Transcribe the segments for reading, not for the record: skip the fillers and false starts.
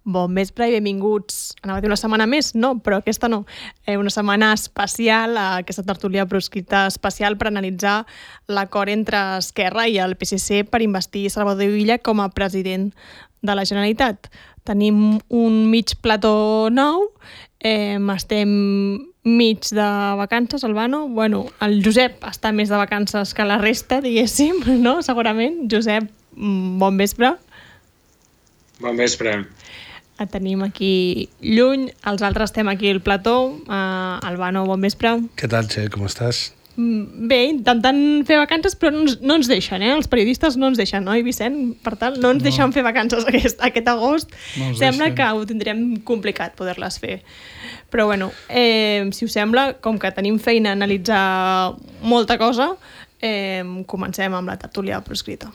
Bon vespre i benvinguts. Anava a dir una setmana més, no, però aquesta no. Una setmana especial, aquesta tertúlia proscrita especial per analitzar l'acord entre Esquerra i el PSC per investir Salvador Illa com a president de la Generalitat. Tenim un mig plató nou, estem mig de vacances, Albano. Bueno, el Josep està més de vacances que la resta, diguéssim, no? Segurament. Josep, bon vespre. Bon vespre. Et tenim aquí lluny, els altres estem aquí al plató. Albano, bon vespre. Què tal, Txell? Com estàs? Bé, intentant fer vacances, però no ens deixen, Els periodistes no ens deixen, oi, Vicent? Per tant, no ens deixen fer vacances aquest agost. Sembla que ho tindrem complicat poder-les fer. Però bueno, si us sembla, com que tenim feina a analitzar molta cosa, comencem amb la tertúlia proscrita.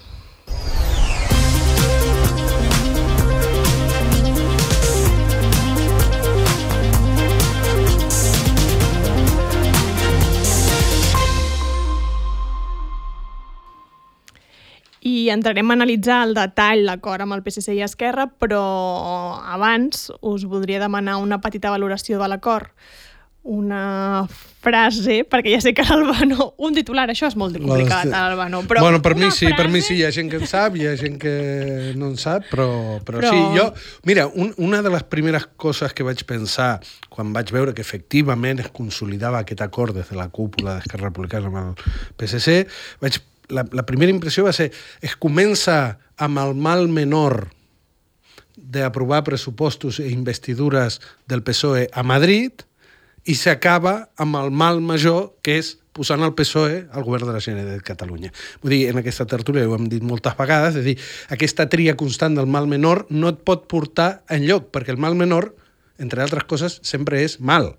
I entrarem a analitzar el detall l'acord amb el PSC i Esquerra, però abans us voldria demanar una petita valoració de l'acord. Una frase, perquè ja sé que l'Albano... Un titular, això és molt complicat, l'Albano. Bueno, per mi sí, hi ha gent que en sap, hi ha gent que no en sap, però sí. Jo, mira, una de les primeres coses que vaig pensar quan vaig veure que efectivament es consolidava aquest acord des de la cúpula d'Esquerra Republicana amb el PSC, la primera impressió va ser es comença amb el mal menor d'aprovar pressupostos i investidures del PSOE a Madrid i s'acaba amb el mal major, que és posant el PSOE al govern de la Generalitat de Catalunya. Vull dir, en aquesta tertúlia ho hem dit moltes vegades, és dir, aquesta tria constant del mal menor no et pot portar enlloc, perquè el mal menor, entre altres coses, sempre és mal.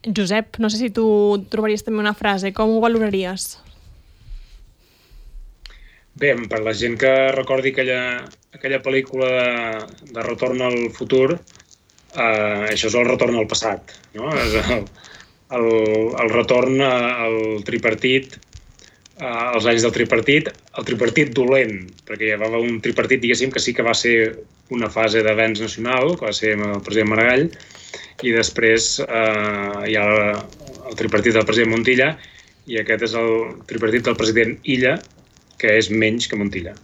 Josep, no sé si tu trobaries també una frase, com ho valoraries? Bé, per la gent que recordi aquella pel·lícula de Retorn al futur, això és el retorn al passat, no? És el retorn al tripartit, als anys del tripartit, el tripartit dolent, perquè hi havia un tripartit, diguéssim, que sí que va ser una fase d'avenç nacional, que va ser amb el president Maragall, i després hi ha el tripartit del president Montilla, i aquest és el tripartit del president Illa, que és menys que Montilla.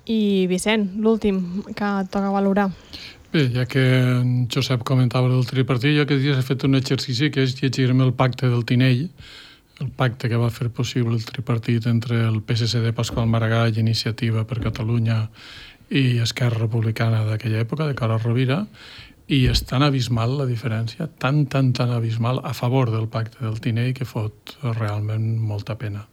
I Vicent, l'últim que et toca valorar. Bé, ja que en Josep comentava del tripartit, jo aquests dies he fet un exercici que és llegir-me el pacte del Tinell, el pacte que va fer possible el tripartit entre el PSC de Pasqual Maragall, Iniciativa per Catalunya i Esquerra Republicana d'aquella època, de Carod Rovira, i és tan abismal la diferència, tan abismal a favor del pacte del Tinell que fot realment molta pena.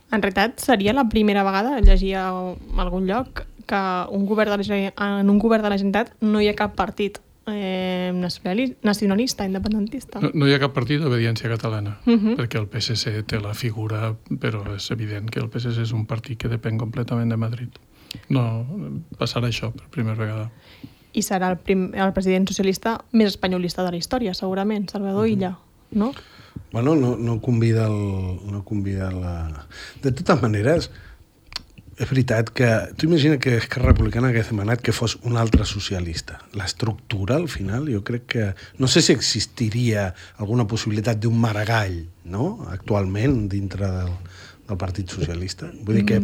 En realitat, seria la primera vegada, llegia a algun lloc, que en un govern de la Generalitat no hi ha cap partit nacionalista, independentista. No hi ha cap partit d'obediència catalana, perquè el PSC té la figura, però és evident que el PSC és un partit que depèn completament de Madrid. No passarà això per primera vegada. I serà el president socialista més espanyolista de la història, segurament, Salvador Illa, no? Bueno, no convida la... De totes maneres, és veritat que... Tu imagina que Esquerra Republicana hagués demanat que fos un altre socialista. L'estructura, al final, jo crec que... No sé si existiria alguna possibilitat d'un Maragall, no?, actualment, dintre del Partit Socialista. Vull dir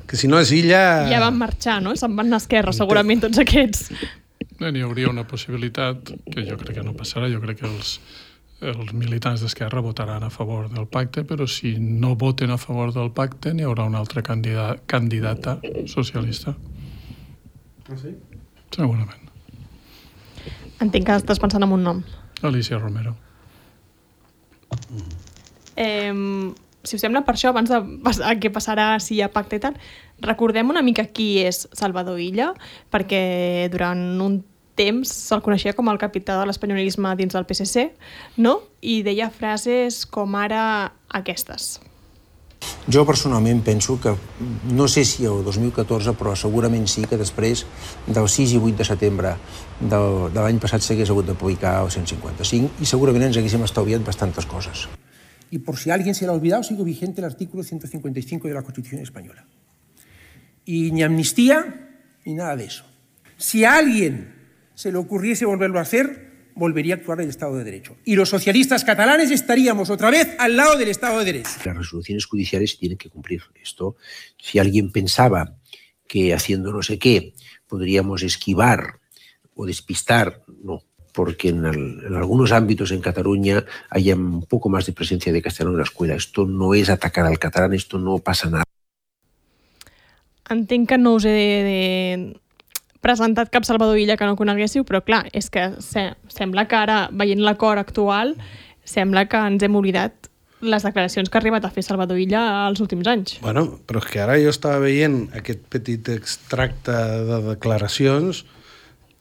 que si no és Illa... Ja van marxar, no? Se'n van anar a Esquerra, segurament, tots aquests. N'hi hauria una possibilitat, que jo crec que no passarà. Jo crec que els militants d'Esquerra votaran a favor del pacte, però si no voten a favor del pacte n'hi haurà una altra candidata socialista. Ah, sí? Segurament. Entenc que estàs pensant en un nom. Alicia Romero. Si us sembla, per això, abans de què passarà si hi ha pacte i tal, recordem una mica qui és Salvador Illa, perquè durant un temps se'l coneixia com el capità de l'espanyolisme dins del PSC, no? I deia frases com ara aquestes. Jo personalment penso que, no sé si el 2014, però segurament sí que després del 6 i 8 de setembre de l'any passat s'hagués hagut d'aplicar el 155 i segurament ens haguéssim estalviat bastantes coses. Y por si a alguien se le ha olvidado, sigue vigente el artículo 155 de la Constitución española. Y ni amnistía ni nada de eso. Si a alguien se le ocurriese volverlo a hacer, volvería a actuar el Estado de Derecho. Y los socialistas catalanes estaríamos otra vez al lado del Estado de Derecho. Las resoluciones judiciales se tienen que cumplir. Esto, si alguien pensaba que haciendo no sé qué podríamos esquivar o despistar, no, porque en algunos ámbitos en Cataluña hay un poco más de presencia de castellano en la escuela. Esto no es atacar al catalán, esto no pasa nada. Entenc que no us he presentat cap Salvador Illa que no coneguéssiu, però clar, és que sembla que ara, veient l'acord actual, sembla que ens hem oblidat les declaracions que ha arribat a fer Salvador Illa als últims anys. Bueno, però és que ara jo estava veient aquest petit extracte de declaracions.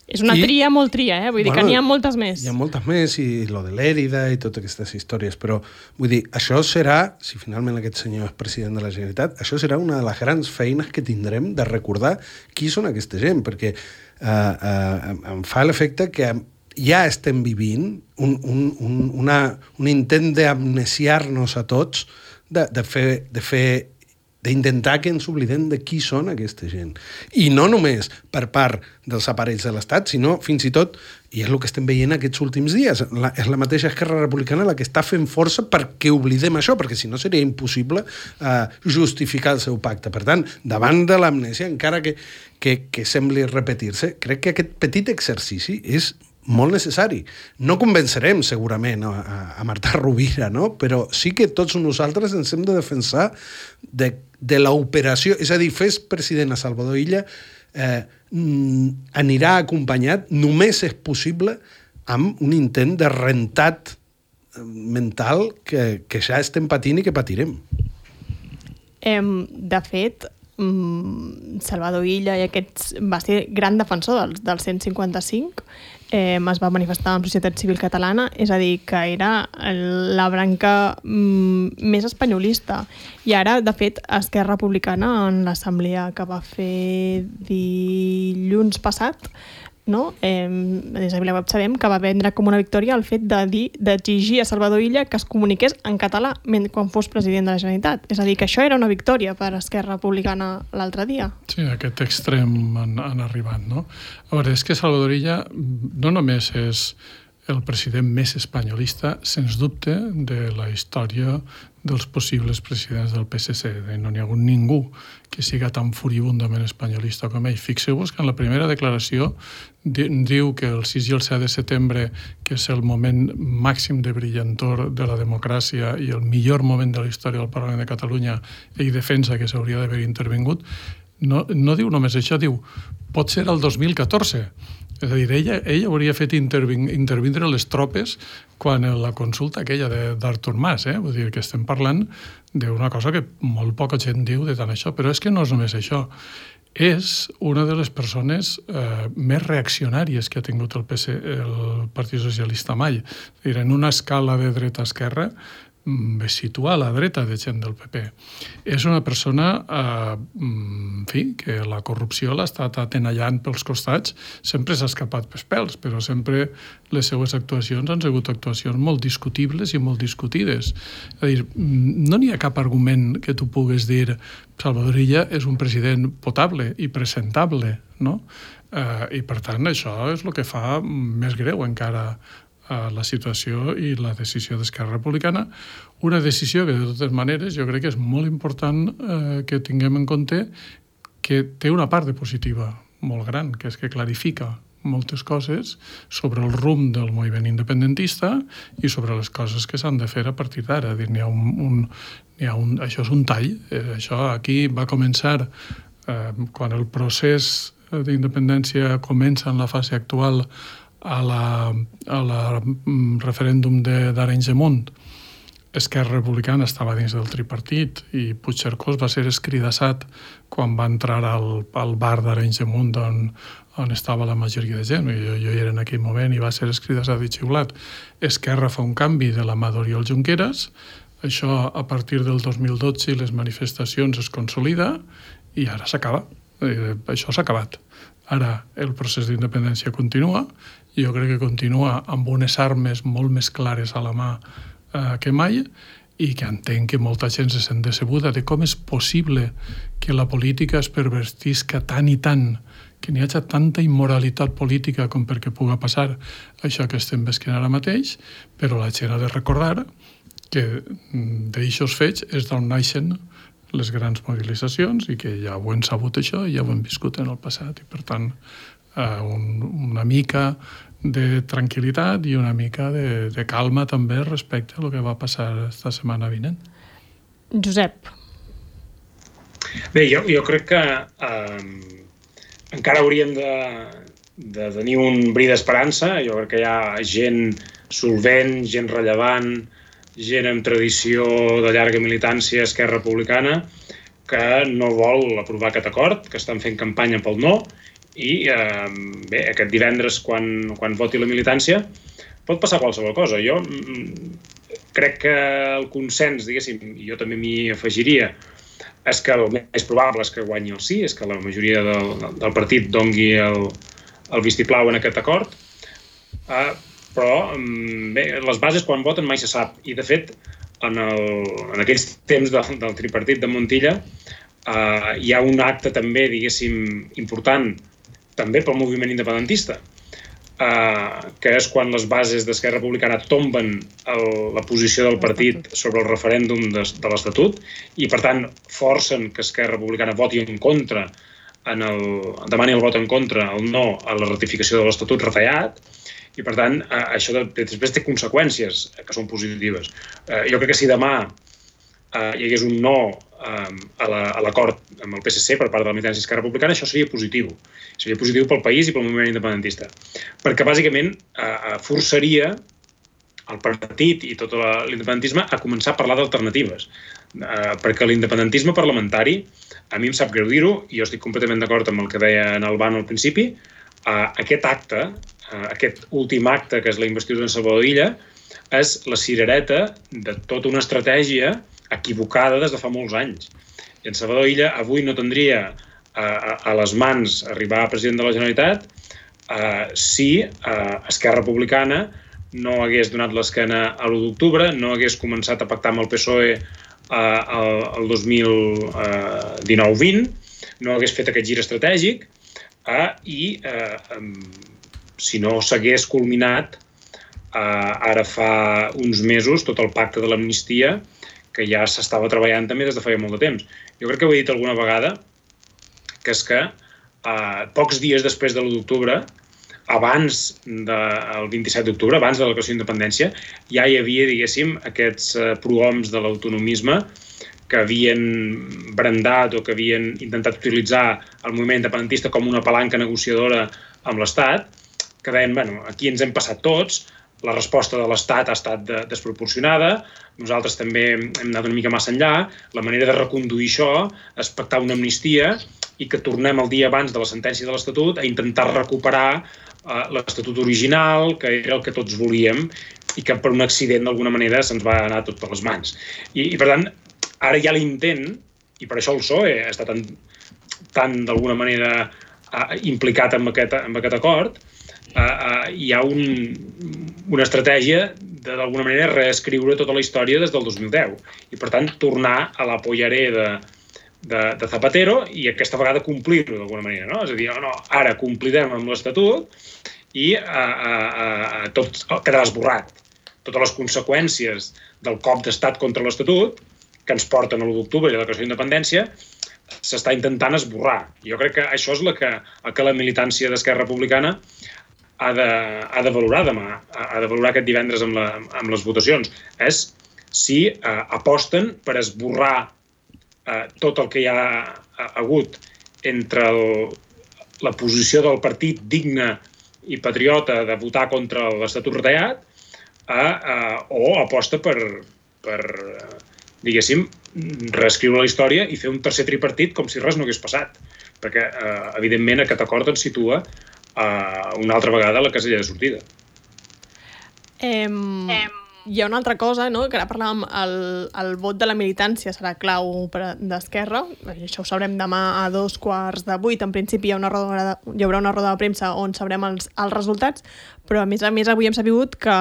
És una tria molt tria, vull dir que n'hi ha moltes més. Hi ha moltes més, i lo de l'Èrida i totes aquestes històries, però vull dir, això serà, si finalment aquest senyor és president de la Generalitat, això serà una de les grans feines que tindrem de recordar qui són aquesta gent, perquè em fa l'efecte que ja estem vivint un intent d'amnesiar-nos a tots, d'intentar que ens oblidem de qui són aquesta gent. I no només per part dels aparells de l'Estat, sinó fins i tot, i és el que estem veient aquests últims dies, és la mateixa Esquerra Republicana la que està fent força perquè oblidem això, perquè si no seria impossible justificar el seu pacte. Per tant, davant de l'amnèsia, encara que sembli repetir-se, crec que aquest petit exercici és molt necessari. No convencerem segurament a Marta Rovira, no? Però sí que tots nosaltres ens hem de defensar de l'operació, és a dir, fes president a Salvador Illa anirà acompanyat, només és possible, amb un intent de rentat mental que ja estem patint i que patirem. De fet, Salvador Illa va ser gran defensor del 155, es va manifestar en Societat Civil Catalana, és a dir, que era la branca més espanyolista. I ara, de fet, Esquerra Republicana, en l'assemblea que va fer dilluns passat, no? Des de VilaWeb sabem que va vendre com una victòria el fet d'exigir a Salvador Illa que es comuniqués en català quan fos president de la Generalitat. És a dir, que això era una victòria per Esquerra Republicana l'altre dia. Sí, a aquest extrem han arribat, no? A veure, és que Salvador Illa no només és el president més espanyolista, sens dubte, de la història dels possibles presidents del PSC. No n'hi ha hagut ningú que siga tan furibundament espanyolista com ell. Fixeu-vos que en la primera declaració diu que el 6 i el 7 de setembre, que és el moment màxim de brillantor de la democràcia i el millor moment de la història del Parlament de Catalunya, ell defensa que s'hauria d'haver intervingut. No diu només això, diu, pot ser el 2014. És a dir, ella hauria fet intervindre les tropes quan la consulta aquella d'Artur Mas, vull dir que estem parlant d'una cosa que molt poca gent diu de tant això, però és que no és només això. És una de les persones més reaccionàries que ha tingut el Partit Socialista mai. És a dir, en una escala de dreta-esquerra es situa a la dreta de gent del PP. És una persona, en fi, que la corrupció l'ha estat atenallant pels costats, sempre s'ha escapat pels pèls, però sempre les seues actuacions han sigut actuacions molt discutibles i molt discutides. És a dir, no n'hi ha cap argument que tu puguis dir Salvador Illa és un president potable i presentable, no? I per tant això és el que fa més greu encara la situació i la decisió d'Esquerra Republicana, una decisió que de totes maneres jo crec que és molt important que tinguem en compte que té una part de positiva molt gran, que és que clarifica moltes coses sobre el rumb del moviment independentista i sobre les coses que s'han de fer a partir d'ara. Això és un tall. Això aquí va començar quan el procés d'independència comença en la fase actual a la referèndum d'Arenys de Munt. Esquerra Republicana estava dins del tripartit i Puigcercós va ser escridassat quan va entrar al bar d'Arenys de Munt on estava la majoria de gent. Jo hi era en aquell moment i va ser escridassat i xiulat. Esquerra fa un canvi de la mà d'Oriol Junqueras. Això a partir del 2012 les manifestacions es consolida i ara s'acaba. Això s'ha acabat. Ara el procés d'independència continua i jo crec que continua amb unes armes molt més clares a la mà que mai i que entenc que molta gent se sent decebuda de com és possible que la política es pervertisca tant i tant que n'hi hagi tanta immoralitat política com perquè pugui passar això que estem vesquint ara mateix, però la gent ha de recordar que d'aixòs fets és d'on naixen les grans mobilitzacions i que ja ho hem sabut això i ja ho hem viscut en el passat. I per tant, una mica de tranquil·litat i una mica de calma també respecte a el que va passar esta setmana vinent. Josep. Bé, jo crec que encara hauríem de tenir un bri d'esperança. Jo crec que hi ha gent solvent, gent rellevant, gent amb tradició de llarga militància a Esquerra Republicana que no vol aprovar aquest acord, que estan fent campanya pel no, i bé, aquest divendres, quan voti la militància, pot passar qualsevol cosa. Jo crec que el consens, diguéssim, i jo també m'hi afegiria, és que el més probable és que guanyi el sí, és que la majoria del partit dongui el vistiplau en aquest acord, però bé, les bases quan voten mai se sap. I de fet, en aquells temps del tripartit de Montilla hi ha un acte també, diguéssim, important, també pel moviment independentista, que és quan les bases d'Esquerra Republicana tomben la posició del partit sobre el referèndum de l'Estatut i, per tant, forcen que Esquerra Republicana voti en contra, demani el vot en contra, el no a la ratificació de l'Estatut retallat, i, per tant, això després té conseqüències que són positives. Jo crec que si demà hi hagués un no a l'acord amb el PSC per part de la militància Esquerra Republicana, això seria positiu. Seria positiu pel país i pel moviment independentista. Perquè, bàsicament, forçaria el partit i tot l'independentisme a començar a parlar d'alternatives. Perquè l'independentisme parlamentari, a mi em sap greu dir-ho, i jo estic completament d'acord amb el que deia en Albano al principi, aquest acte, aquest últim acte, que és la investidura en Salvador Illa, és la cirereta de tota una estratègia equivocada des de fa molts anys. I en Salvador Illa avui no tindria a les mans arribar a president de la Generalitat si Esquerra Republicana no hagués donat l'esquena a l'1 d'octubre, no hagués començat a pactar amb el PSOE el 2019-20, no hagués fet aquest gir estratègic i si no s'hagués culminat ara fa uns mesos tot el pacte de l'amnistia que ja s'estava treballant també des de feia molt de temps. Jo crec que ho he dit alguna vegada, que és que pocs dies després de l'1 d'octubre, abans del 27 d'octubre, abans de la declaració d'independència, ja hi havia, diguéssim, aquests prohoms de l'autonomisme que havien brandat o que havien intentat utilitzar el moviment independentista com una palanca negociadora amb l'Estat, que deien, bueno, aquí ens hem passat tots, la resposta de l'Estat ha estat desproporcionada, nosaltres també hem anat una mica massa enllà, la manera de reconduir això és pactar una amnistia i que tornem el dia abans de la sentència de l'Estatut a intentar recuperar l'Estatut original, que era el que tots volíem, i que per un accident d'alguna manera se'ns va anar tot per les mans. I per tant, ara hi ha l'intent, i per això el PSOE està tan d'alguna manera implicat en aquest acord, hi ha una estratègia de d'alguna manera reescriure tota la història des del 2010 i per tant tornar a la pollaré de Zapatero i aquesta vegada complir-ho d'alguna manera, no? És a dir, no, ara complirem amb l'Estatut i tot quedarà esborrat. Totes les conseqüències del cop d'estat contra l'Estatut que ens porten a l'1 d'octubre i a la declaració d'independència s'està intentant esborrar. Jo crec que això és el que la militància d'Esquerra Republicana ha de valorar demà, ha de valorar aquest divendres amb les votacions. És si aposten per esborrar tot el que hi ha hagut entre la posició del partit digne i patriota de votar contra l'Estatut retallat o aposta per diguéssim, reescriure la història i fer un tercer tripartit com si res no hagués passat. Perquè, evidentment, aquest acord ens situa una altra vegada a la casella de sortida. hi ha una altra cosa, no?, que ara parlàvem, el vot de la militància serà clau d'Esquerra, això ho sabrem demà a 7:15. En principi hi haurà una roda de premsa on sabrem els resultats, però a més avui hem sabut que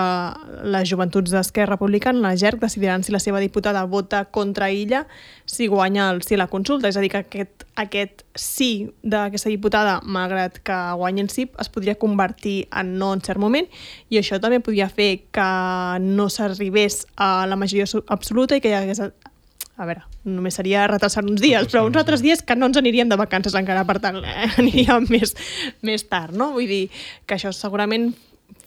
les joventuts d'Esquerra Republicana, la JERC, decidiran si la seva diputada vota contra Illa si guanya el sí a la consulta. És a dir, que aquest sí d'aquesta diputada, malgrat que guanyi el sí, es podria convertir en no en cert moment, i això també podria fer que no s'arribés a la majoria absoluta i que hi hagués... A veure, només seria retrasar uns dies, però uns altres dies que no ens aniríem de vacances encara, per tant, aniríem més tard, no? Vull dir que això segurament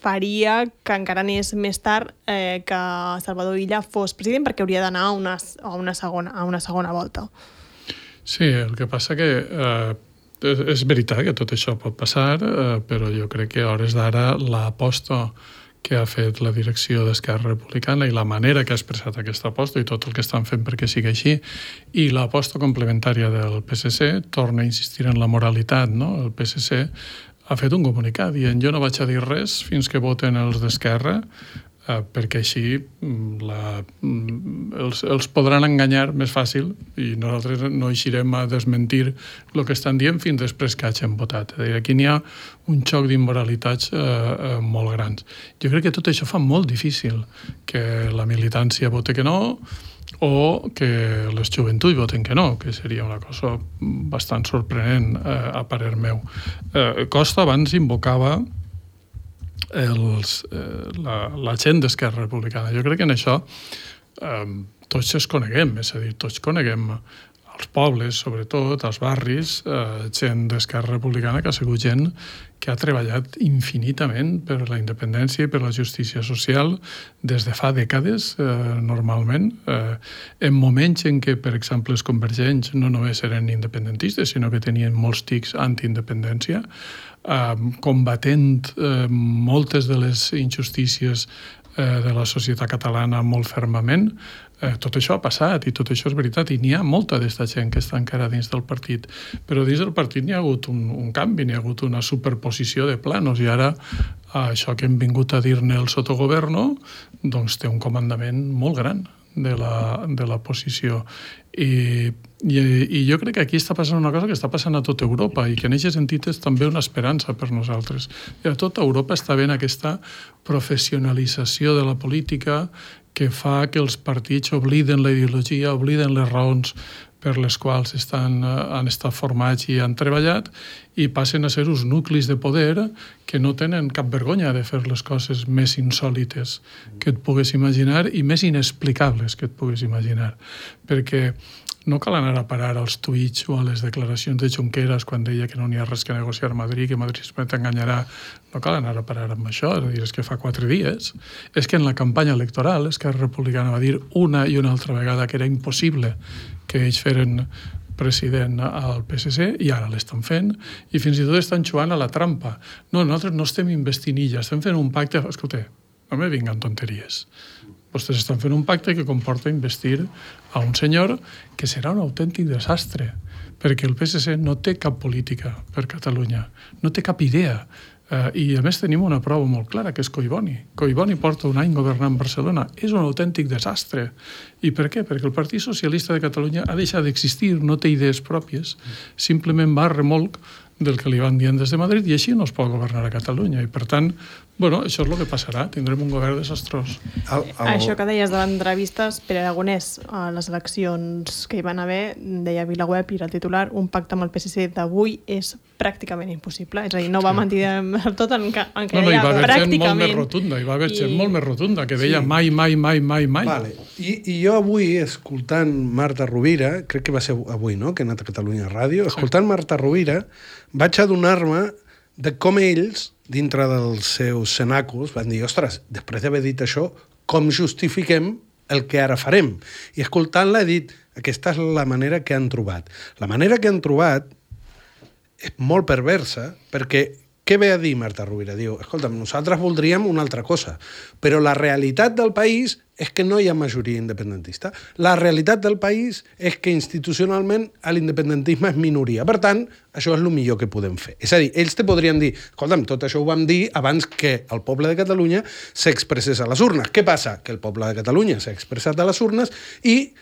faria que encara anés més tard que Salvador Illa fos president, perquè hauria d'anar a una segona volta. Sí, el que passa que és veritat que tot això pot passar, però jo crec que a hores d'ara l'aposta que ha fet la direcció d'Esquerra Republicana i la manera que ha expressat aquesta aposta i tot el que estan fent perquè sigui així, i l'aposta complementària del PSC torna a insistir en la moralitat, no? El PSC ha fet un comunicat dient jo no vaig a dir res fins que voten els d'Esquerra, perquè així els podran enganyar més fàcil i nosaltres no eixirem a desmentir el que estan dient fins després que hagin votat. Aquí n'hi ha un xoc d'immoralitats molt grans. Jo crec que tot això fa molt difícil que la militància vote que no o que les joventuts voten que no, que seria una cosa bastant sorprenent a parer meu. Costa abans invocava la gent d'Esquerra Republicana. Jo crec que en això tots es coneguem, és a dir, tots coneguem als pobles, sobretot, als barris, gent d'Esquerra Republicana que ha sigut gent que ha treballat infinitament per la independència i per la justícia social des de fa dècades, normalment, en moments en què, per exemple, els convergents no només eren independentistes, sinó que tenien molts tics antiindependència, combatent moltes de les injustícies de la societat catalana molt fermament. Tot això ha passat i tot això és veritat i n'hi ha molta d'aquesta gent que està encara dins del partit, però dins del partit n'hi ha hagut un canvi, n'hi ha hagut una superposició de planos i ara això que hem vingut a dir-ne el sotogoverno doncs té un comandament molt gran de la posició i jo crec que aquí està passant una cosa que està passant a tota Europa i que en aquest sentit és també una esperança per nosaltres. I a tota Europa està havent aquesta professionalització de la política que fa que els partits obliden la ideologia, obliden les raons per les quals han estat formats i han treballat i passen a ser uns nuclis de poder que no tenen cap vergonya de fer les coses més insòlites que et pugues imaginar i més inexplicables que et pugues imaginar. Perquè no cal anar a parar als tuits o a les declaracions de Junqueras quan deia que no n'hi ha res que negociar a Madrid, que Madrid sempre t'enganyarà. No cal anar a parar amb això, és a dir, és que fa 4 dies. És que en la campanya electoral Esquerra Republicana va dir una i una altra vegada que era impossible que ells feren president al PSC i ara l'estan fent i fins i tot estan jugant a la trampa. No, nosaltres no estem investint Illa, estem fent un pacte... Escolta, no me vinguen tonteries. Vostès estan fent un pacte que comporta investir a un senyor que serà un autèntic desastre, perquè el PSC no té cap política per Catalunya, no té cap idea. I a més tenim una prova molt clara, que és Collboni. Collboni porta un any governant Barcelona. És un autèntic desastre. I per què? Perquè el Partit Socialista de Catalunya ha deixat d'existir, no té idees pròpies, simplement va a remolc del que li van dient des de Madrid i així no es pot governar a Catalunya. I per tant, bueno, això és el que passarà. Tindrem un govern desastrós. Això que deies de l'entrevistes, Pere Aragonès, a les eleccions que hi van haver, deia a VilaWeb, i era el titular, un pacte amb el PSC d'avui és pràcticament impossible. És a dir, no va mentir del tot en què deia pràcticament. Hi va haver gent molt més rotunda, que deia mai. Vale. I jo avui, escoltant Marta Rovira, crec que va ser avui, no?, que he anat a Catalunya Ràdio, escoltant Marta Rovira, vaig adonar-me de com ells, dintre dels seus cenàculs, van dir, ostres, després d'haver dit això, com justifiquem el que ara farem? I escoltant-la he dit, aquesta és la manera que han trobat. La manera que han trobat és molt perversa, perquè què ve a dir Marta Rovira? Diu, escolta'm, nosaltres voldríem una altra cosa, però la realitat del país és que no hi ha majoria independentista. La realitat del país és que institucionalment l'independentisme és minoria. Per tant, això és el millor que podem fer. És a dir, ells te podrien dir, escolta'm, tot això ho vam dir abans que el poble de Catalunya s'expressés a les urnes. Què passa? Que el poble de Catalunya s'ha expressat a les urnes i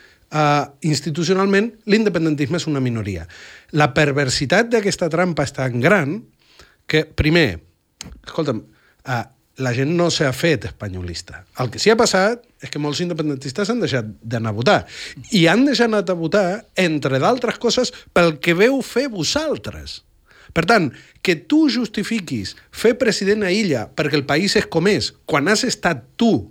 institucionalment l'independentisme és una minoria. La perversitat d'aquesta trampa és tan gran que, primer, escolta'm, la gent no s'ha fet espanyolista. El que sí ha passat és que molts independentistes han deixat d'anar a votar. I han deixat d'anar a votar, entre d'altres coses, pel que veu fer vosaltres. Per tant, que tu justifiquis fer president a Illa perquè el país és com és, quan has estat tu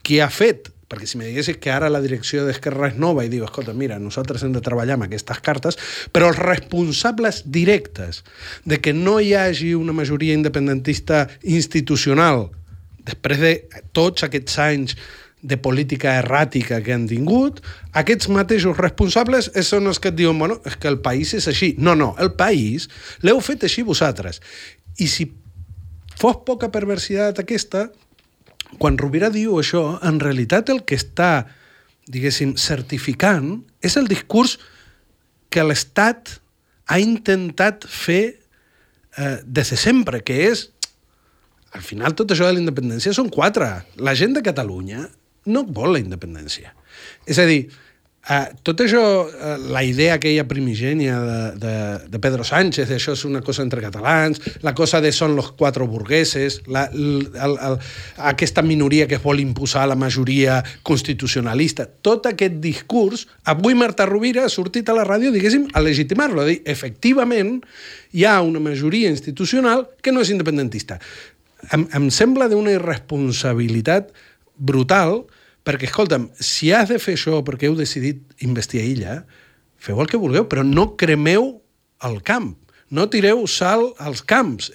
qui ha fet, perquè si me diguessis que ara la direcció d'Esquerra és nova i diu, escolta, mira, nosaltres hem de treballar amb aquestes cartes, però els responsables directes de que no hi hagi una majoria independentista institucional després de tots aquests anys de política erràtica que han tingut, aquests mateixos responsables són els que et diuen, bueno, és que el país és així. No, el país l'heu fet així vosaltres. I si fos poca perversitat aquesta, quan Rovira diu això, en realitat el que està, diguéssim, certificant és el discurs que l'Estat ha intentat fer des de sempre, que és, al final tot això de la independència són 4. La gent de Catalunya no vol la independència. És a dir, tot això, la idea aquella primigènia de Pedro Sánchez, això és una cosa entre catalans, la cosa de són los 4 burgueses, aquesta minoria que es vol imposar a la majoria constitucionalista, tot aquest discurs, avui Marta Rovira ha sortit a la ràdio, diguéssim, a legitimar-lo, a dir, efectivament, hi ha una majoria institucional que no és independentista. Em sembla d'una irresponsabilitat brutal, perquè, escolta'm, si has de fer això perquè heu decidit investir a Illa, feu el que vulgueu, però no cremeu el camp, no tireu sal als camps.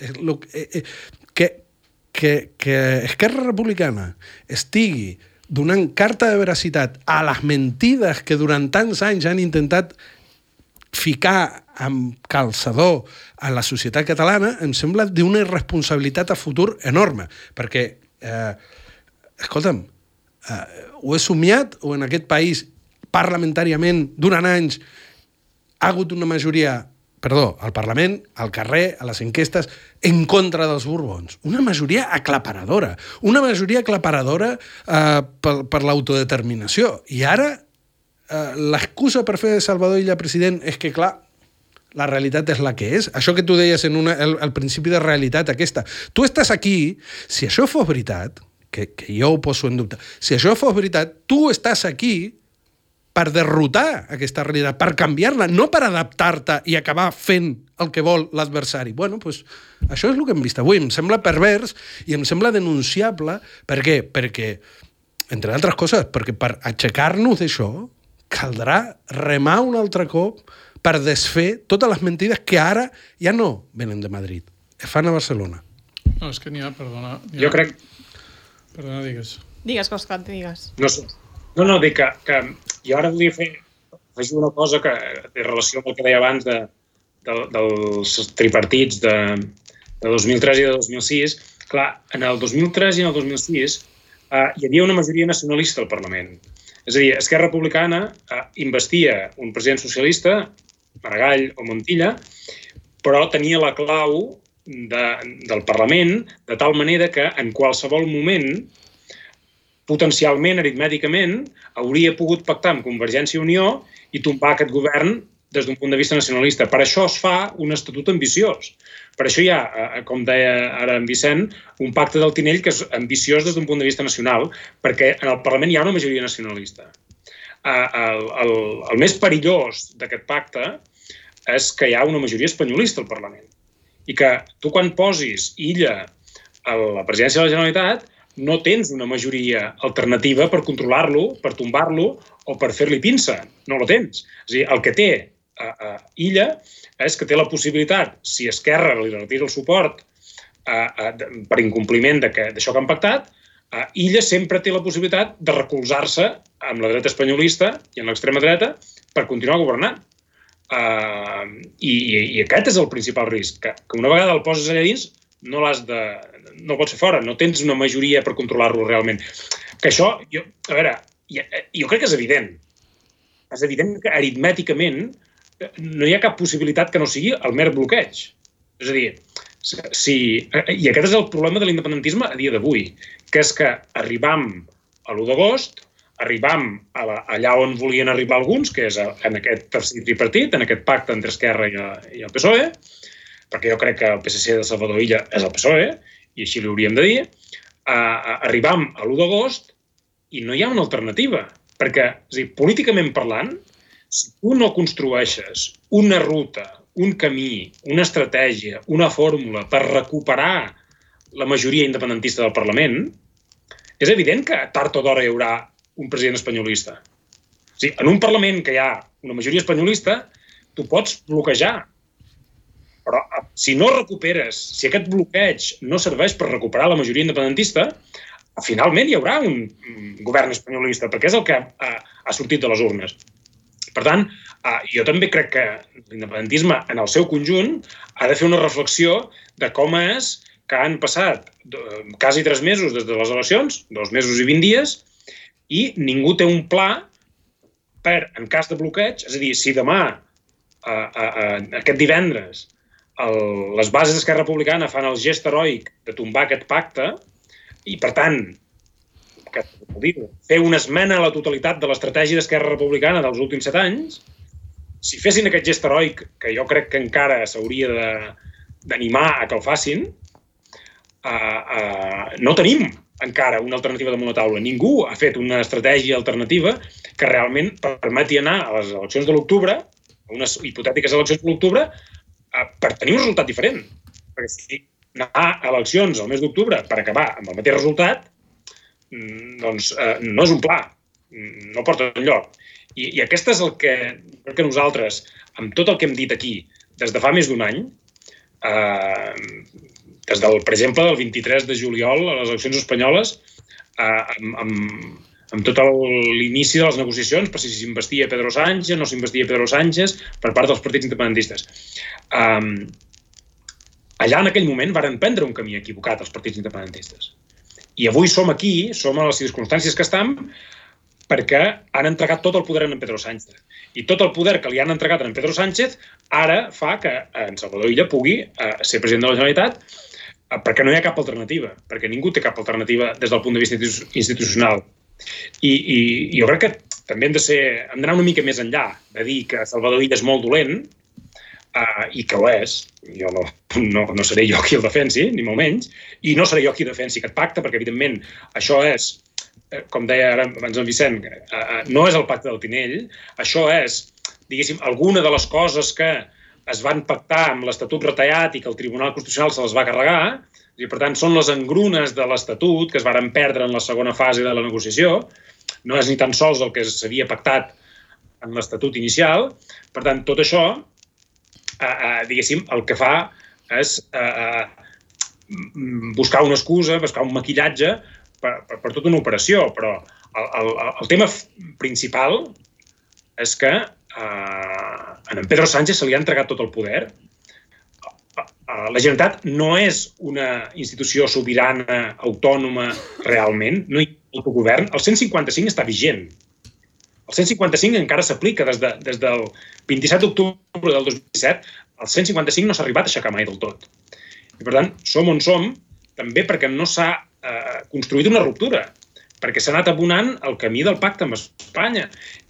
Que Esquerra Republicana estigui donant carta de veracitat a les mentides que durant tants anys han intentat ficar amb calçador a la societat catalana, em sembla d'una irresponsabilitat a futur enorme, perquè, escolta'm, ho he somiat o en aquest país parlamentàriament durant anys ha hagut una majoria, al Parlament, al carrer, a les enquestes, en contra dels Borbons. Una majoria aclaparadora per l'autodeterminació. I ara l'excusa per fer de Salvador Illa president és que, clar, la realitat és la que és. Això que tu deies al principi de realitat aquesta. Tu estàs aquí, si això fos veritat, que jo ho poso en dubte. Si això fos veritat, tu estàs aquí per derrotar aquesta realitat, per canviar-la, no per adaptar-te i acabar fent el que vol l'adversari. Bueno, doncs això és el que hem vist avui. Em sembla pervers i em sembla denunciable. Per què? Perquè, entre altres coses, perquè per aixecar-nos d'això caldrà remar un altre cop per desfer totes les mentides que ara ja no venen de Madrid, es fan a Barcelona. No, és que n'hi ha, perdona. Jo crec... Perdona, digues. Digues, Òscar, digues. No, dic que jo ara volia fer una cosa que té relació amb el que deia abans dels tripartits de 2003 i de 2006. Clar, en el 2003 i en el 2006 hi havia una majoria nacionalista al Parlament. És a dir, Esquerra Republicana investia un president socialista, Maragall o Montilla, però tenia la clau del Parlament, de tal manera que en qualsevol moment, potencialment, aritmèticament, hauria pogut pactar amb Convergència i Unió i tombar aquest govern des d'un punt de vista nacionalista. Per això es fa un estatut ambiciós. Per això hi ha, com deia ara en Vicent, un pacte del Tinell que és ambiciós des d'un punt de vista nacional, perquè en el Parlament hi ha una majoria nacionalista. El més perillós d'aquest pacte és que hi ha una majoria espanyolista al Parlament. I que tu quan posis Illa a la presidència de la Generalitat no tens una majoria alternativa per controlar-lo, per tombar-lo o per fer-li pinça. No la tens. És a dir, el que té Illa és que té la possibilitat, si Esquerra li retira el suport per incompliment d'això que han pactat, Illa sempre té la possibilitat de recolzar-se amb la dreta espanyolista i amb l'extrema dreta per continuar governant. I aquest és el principal risc, que una vegada el poses allà dins no el pots fer fora, no tens una majoria per controlar-lo realment. Que això, jo crec que és evident. És evident que aritmèticament no hi ha cap possibilitat que no sigui el mer bloqueig. És a dir, i aquest és el problema de l'independentisme a dia d'avui, que és que arribam a l'1 d'agost, arribam allà on volien arribar alguns, que és en aquest tercer tripartit, en aquest pacte entre Esquerra i el PSOE, perquè jo crec que el PSC de Salvador Illa és el PSOE, i així li hauríem de dir, arribam a l'1 d'agost i no hi ha una alternativa, perquè, és a dir, políticament parlant, si tu no construeixes una ruta, un camí, una estratègia, una fórmula per recuperar la majoria independentista del Parlament, és evident que tard o d'hora hi haurà un president espanyolista. O sigui, en un Parlament que hi ha una majoria espanyolista, tu pots bloquejar. Però si no recuperes, si aquest bloqueig no serveix per recuperar la majoria independentista, finalment hi haurà un govern espanyolista, perquè és el que ha sortit de les urnes. Per tant, jo també crec que l'independentisme en el seu conjunt ha de fer una reflexió de com és que han passat quasi 3 mesos des de les eleccions, 2 mesos i 20 dies, i ningú té un pla per, en cas de bloqueig, és a dir, si demà, aquest divendres, les bases d'Esquerra Republicana fan el gest heroic de tombar aquest pacte i, per tant, fer una esmena a la totalitat de l'estratègia d'Esquerra Republicana dels últims 7 anys, si fessin aquest gest heroic, que jo crec que encara s'hauria d'animar a que el facin, no tenim encara una alternativa damunt la taula. Ningú ha fet una estratègia alternativa que realment permeti anar a les eleccions de l'octubre, a unes hipotètiques eleccions de l'octubre, per tenir un resultat diferent. Perquè si anar a eleccions al mes d'octubre per acabar amb el mateix resultat, doncs no és un pla, no porta enlloc. I aquest és el que crec que nosaltres, amb tot el que hem dit aquí, des de fa més d'un any, des del, per exemple, del 23 de juliol a les eleccions espanyoles, amb tot l'inici de les negociacions per si s'investia Pedro Sánchez, no s'investia Pedro Sánchez, per part dels partits independentistes. Allà, en aquell moment, varen prendre un camí equivocat els partits independentistes. I avui som aquí, som a les circumstàncies que estem, perquè han entregat tot el poder a en Pedro Sánchez. I tot el poder que li han entregat a en Pedro Sánchez ara fa que en Salvador Illa pugui ser president de la Generalitat, perquè no hi ha cap alternativa, perquè ningú té cap alternativa des del punt de vista institucional. I jo crec que també hem d'anar una mica més enllà de dir que Salvador Illa és molt dolent, i que ho és. Jo no seré jo qui el defensi, ni molt menys, i no seré jo qui defensi aquest pacte, perquè, evidentment, això és, com deia ara abans en Vicent, no és el pacte del Tinell, això és, diguéssim, alguna de les coses que es van pactar amb l'Estatut retallat i que el Tribunal Constitucional se les va carregar, i per tant són les engrunes de l'Estatut que es varen perdre en la segona fase de la negociació, no és ni tan sols el que s'havia pactat en l'Estatut inicial. Per tant, tot això, diguéssim, el que fa és buscar una excusa, buscar un maquillatge per tota una operació, però el tema principal és que a en Pedro Sánchez se li ha entregat tot el poder. La Generalitat no és una institució sobirana, autònoma, realment, no hi ha autogovern. El 155 està vigent. El 155 encara s'aplica des del 27 d'octubre del 2017. El 155 no s'ha arribat a aixecar mai del tot. I, per tant, som on som, també perquè no s'ha construït una ruptura, perquè s'ha anat abonant el camí del pacte amb Espanya.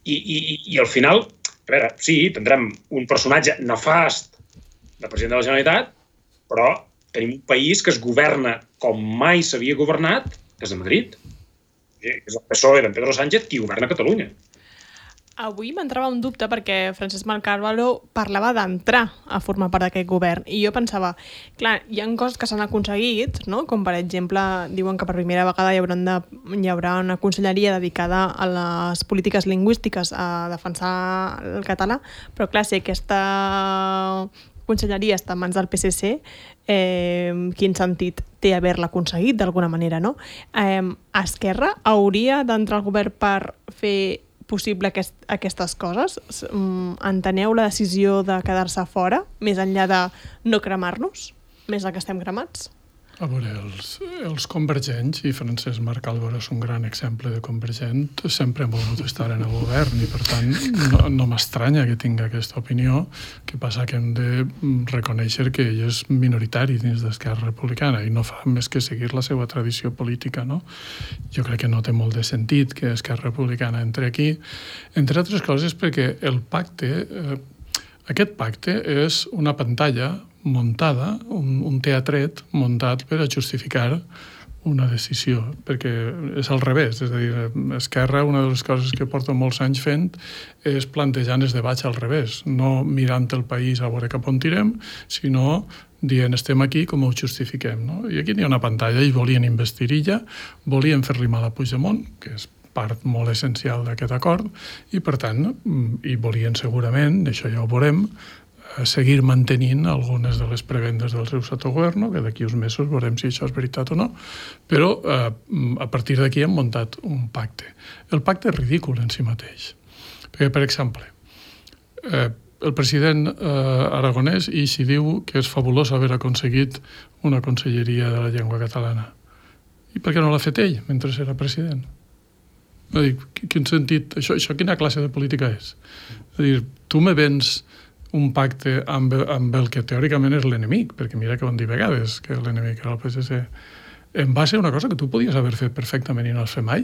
I al final, a veure, sí, tindrem un personatge nefast de president de la Generalitat, però tenim un país que es governa com mai s'havia governat des de Madrid. És el PSOE d'en Pedro Sánchez qui governa Catalunya. Avui m'entrava un dubte perquè Francesc Marc Carvalho parlava d'entrar a formar part d'aquest govern i jo pensava, clar, hi ha coses que s'han aconseguit, no? Com per exemple, diuen que per primera vegada hi haurà una conselleria dedicada a les polítiques lingüístiques a defensar el català, però clar, si aquesta conselleria està en mans del PSC, quin sentit té haver-la aconseguit d'alguna manera, no? Esquerra hauria d'entrar al govern per fer possible aquestes coses? Enteneu la decisió de quedar-se fora, més enllà de no cremar-nos, més del que estem cremats? A veure, els convergents, i Francesc Marc Álvaro és un gran exemple de convergent, sempre han volgut estar en el govern i, per tant, no m'estranya que tinga aquesta opinió. Que passa que hem de reconèixer que ell és minoritari dins d'Esquerra Republicana i no fa més que seguir la seva tradició política, no? Jo crec que no té molt de sentit que Esquerra Republicana entre aquí, entre altres coses perquè el pacte, aquest pacte és una pantalla muntada, un teatret muntat per a justificar una decisió, perquè és al revés, és a dir, Esquerra, una de les coses que porta molts anys fent és plantejant els debats al revés, no mirant el país a veure cap on tirem, sinó dient estem aquí, com ho justifiquem, no? I aquí hi ha una pantalla i volien investir ella, volien fer-li mal a Puigdemont, que és part molt essencial d'aquest acord, i per tant, i volien segurament, això ja ho veurem, seguir mantenint algunes de les prebendes del seu sottogoverno, que d'aquí uns mesos veurem si això és veritat o no, però a partir d'aquí hem muntat un pacte. El pacte és ridícul en si mateix. Perquè, per exemple, el president aragonès i s'hi diu que és fabulós haver aconseguit una conselleria de la llengua catalana. I per què no l'ha fet ell mentre era president? Quin sentit? Això quina classe de política és? És a dir, tu me vens un pacte amb el que teòricament és l'enemic, perquè mira que ho han dit vegades, que l'enemic era el PSC, en base a una cosa que tu podies haver fet perfectament i no has fet mai.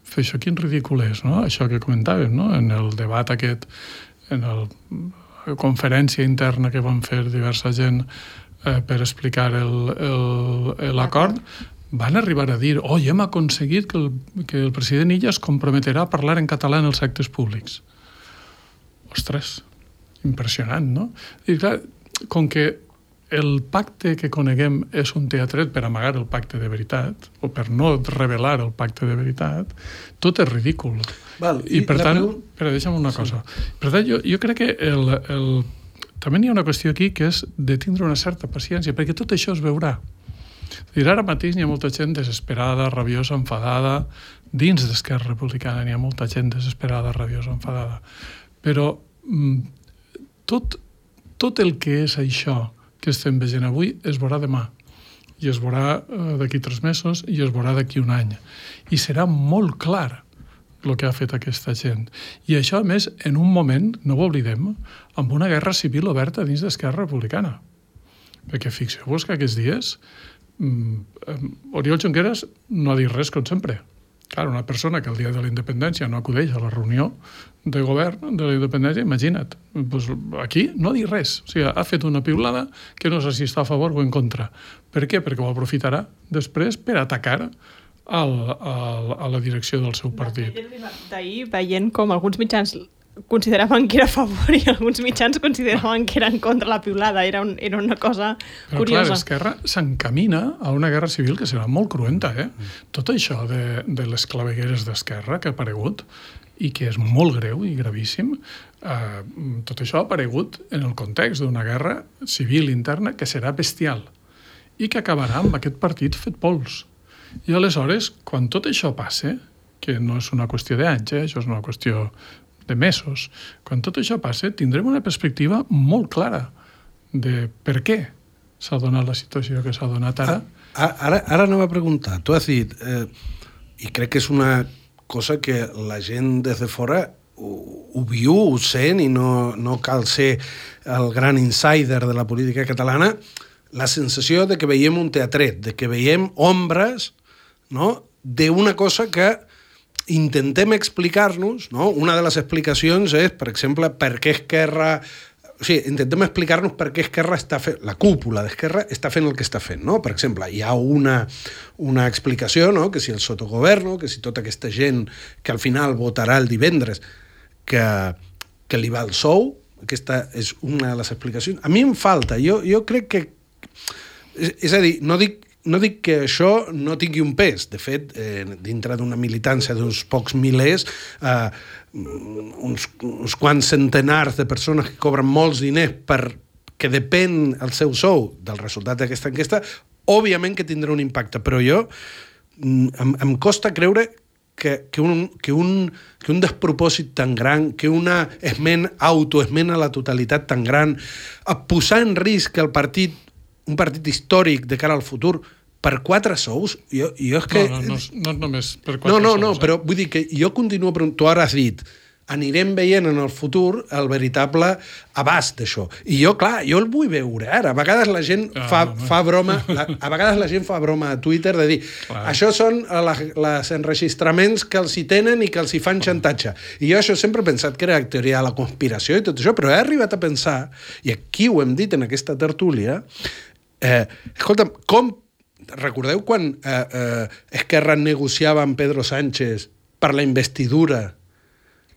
Fer això quin ridícul és, no? Això que comentàvem, no? En el debat aquest, en la conferència interna que van fer diversa gent per explicar l'acord, van arribar a dir, hem aconseguit que el president Illa es comprometerà a parlar en català en els actes públics. Ostres, impressionant, no? I clar, com que el pacte que coneguem és un teatret per amagar el pacte de veritat, o per no revelar el pacte de veritat, tot és ridícul. Val, I per tant, deixa'm una cosa. Per tant, jo crec que també hi ha una qüestió aquí que és de tindre una certa paciència, perquè tot això es veurà. Ara mateix hi ha molta gent desesperada, rabiosa, enfadada. Dins d'Esquerra Republicana hi ha molta gent desesperada, rabiosa, enfadada. Però tot el que és això que estem veient avui es veurà demà, i es veurà d'aquí 3 mesos, i es veurà d'aquí un any. I serà molt clar el que ha fet aquesta gent. I això, a més, en un moment, no ho oblidem, amb una guerra civil oberta dins d'Esquerra Republicana. Perquè fixeu-vos que aquests dies Oriol Junqueras no ha dit res, com sempre. Clar, una persona que el dia de la independència no acudeix a la reunió de govern de la independència, imagina't, doncs aquí no ha dit res. O sigui, ha fet una piulada que no sé si està a favor o en contra. Per què? Perquè ho aprofitarà després per atacar a la direcció del seu partit. D'ahir, veient com alguns mitjans consideraven que era a favor i alguns mitjans consideraven que era en contra la piulada. Era una cosa curiosa. Però clar, Esquerra s'encamina a una guerra civil que serà molt cruenta, Tot això de les clavegueres d'Esquerra que ha aparegut i que és molt greu i gravíssim, tot això ha aparegut en el context d'una guerra civil interna que serà bestial i que acabarà amb aquest partit fet pols. I aleshores, quan tot això passe, que no és una qüestió d'anys, això és una qüestió de mesos, quan tot això passe, tindrem una perspectiva molt clara de per què s'ha donat la situació que s'ha donat ara. Ara anava a preguntar. Tu has dit, i crec que és una cosa que la gent des de fora ho viu, ho sent, i no cal ser el gran insider de la política catalana, la sensació de que veiem un teatret, de que veiem ombres, no?, d'una cosa que intentem explicar-nos, no? Una de les explicacions és, per exemple, per què Esquerra... O sigui, intentem explicar-nos per què Esquerra està fent... La cúpula d'Esquerra està fent el que està fent, no? Per exemple, hi ha una explicació, no?, que si el sotogoverno, que si tota aquesta gent que al final votarà el divendres, que li va el sou, aquesta és una de les explicacions. A mi em falta, jo crec que... És a dir, no dic que això no tingui un pes. De fet, dintre d'una militància d'uns pocs milers, uns quants centenars de persones que cobren molts diners que depèn el seu sou del resultat d'aquesta enquesta, òbviament que tindrà un impacte, però jo em costa creure que un despropòsit tan gran, que una autoesment a la totalitat tan gran, a posar en risc un partit històric de cara al futur per 4 sous, jo és que... No només per 4 sous. No, però vull dir que jo continuo preguntant, tu ara has dit, anirem veient en el futur el veritable abast d'això. I jo, clar, jo el vull veure ara. A vegades la gent fa broma a Twitter de dir això són els enregistraments que els hi tenen i que els hi fan xantatge. I jo això sempre he pensat que era la teoria de la conspiració i tot això, però he arribat a pensar, i aquí ho hem dit en aquesta tertúlia, escolta'm, com recordeu quan Esquerra negociava amb Pedro Sánchez per la investidura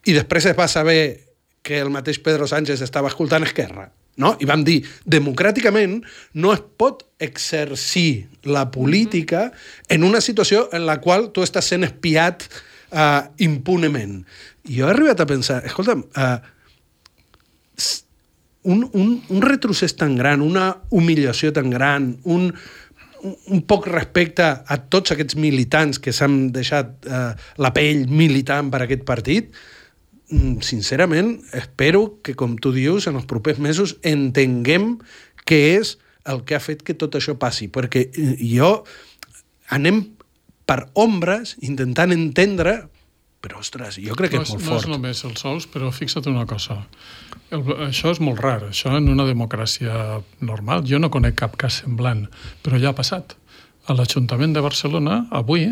i després es va saber que el mateix Pedro Sánchez estava escoltant Esquerra, no? I vam dir, democràticament no es pot exercir la política en una situació en la qual tu estàs sent espiat impunement. I jo he arribat a pensar, escolta'm, un retrocés tan gran, una humiliació tan gran, un poc respecte a tots aquests militants que s'han deixat la pell militant per aquest partit, sincerament, espero que, com tu dius, en els propers mesos entenguem què és el que ha fet que tot això passi, perquè anem per ombres intentant entendre, però, ostres, jo crec que és molt fort. No és només els sous, però fixa't una cosa. Això és molt rar, això en una democràcia normal. Jo no conec cap cas semblant, però ja ha passat. A l'Ajuntament de Barcelona, avui,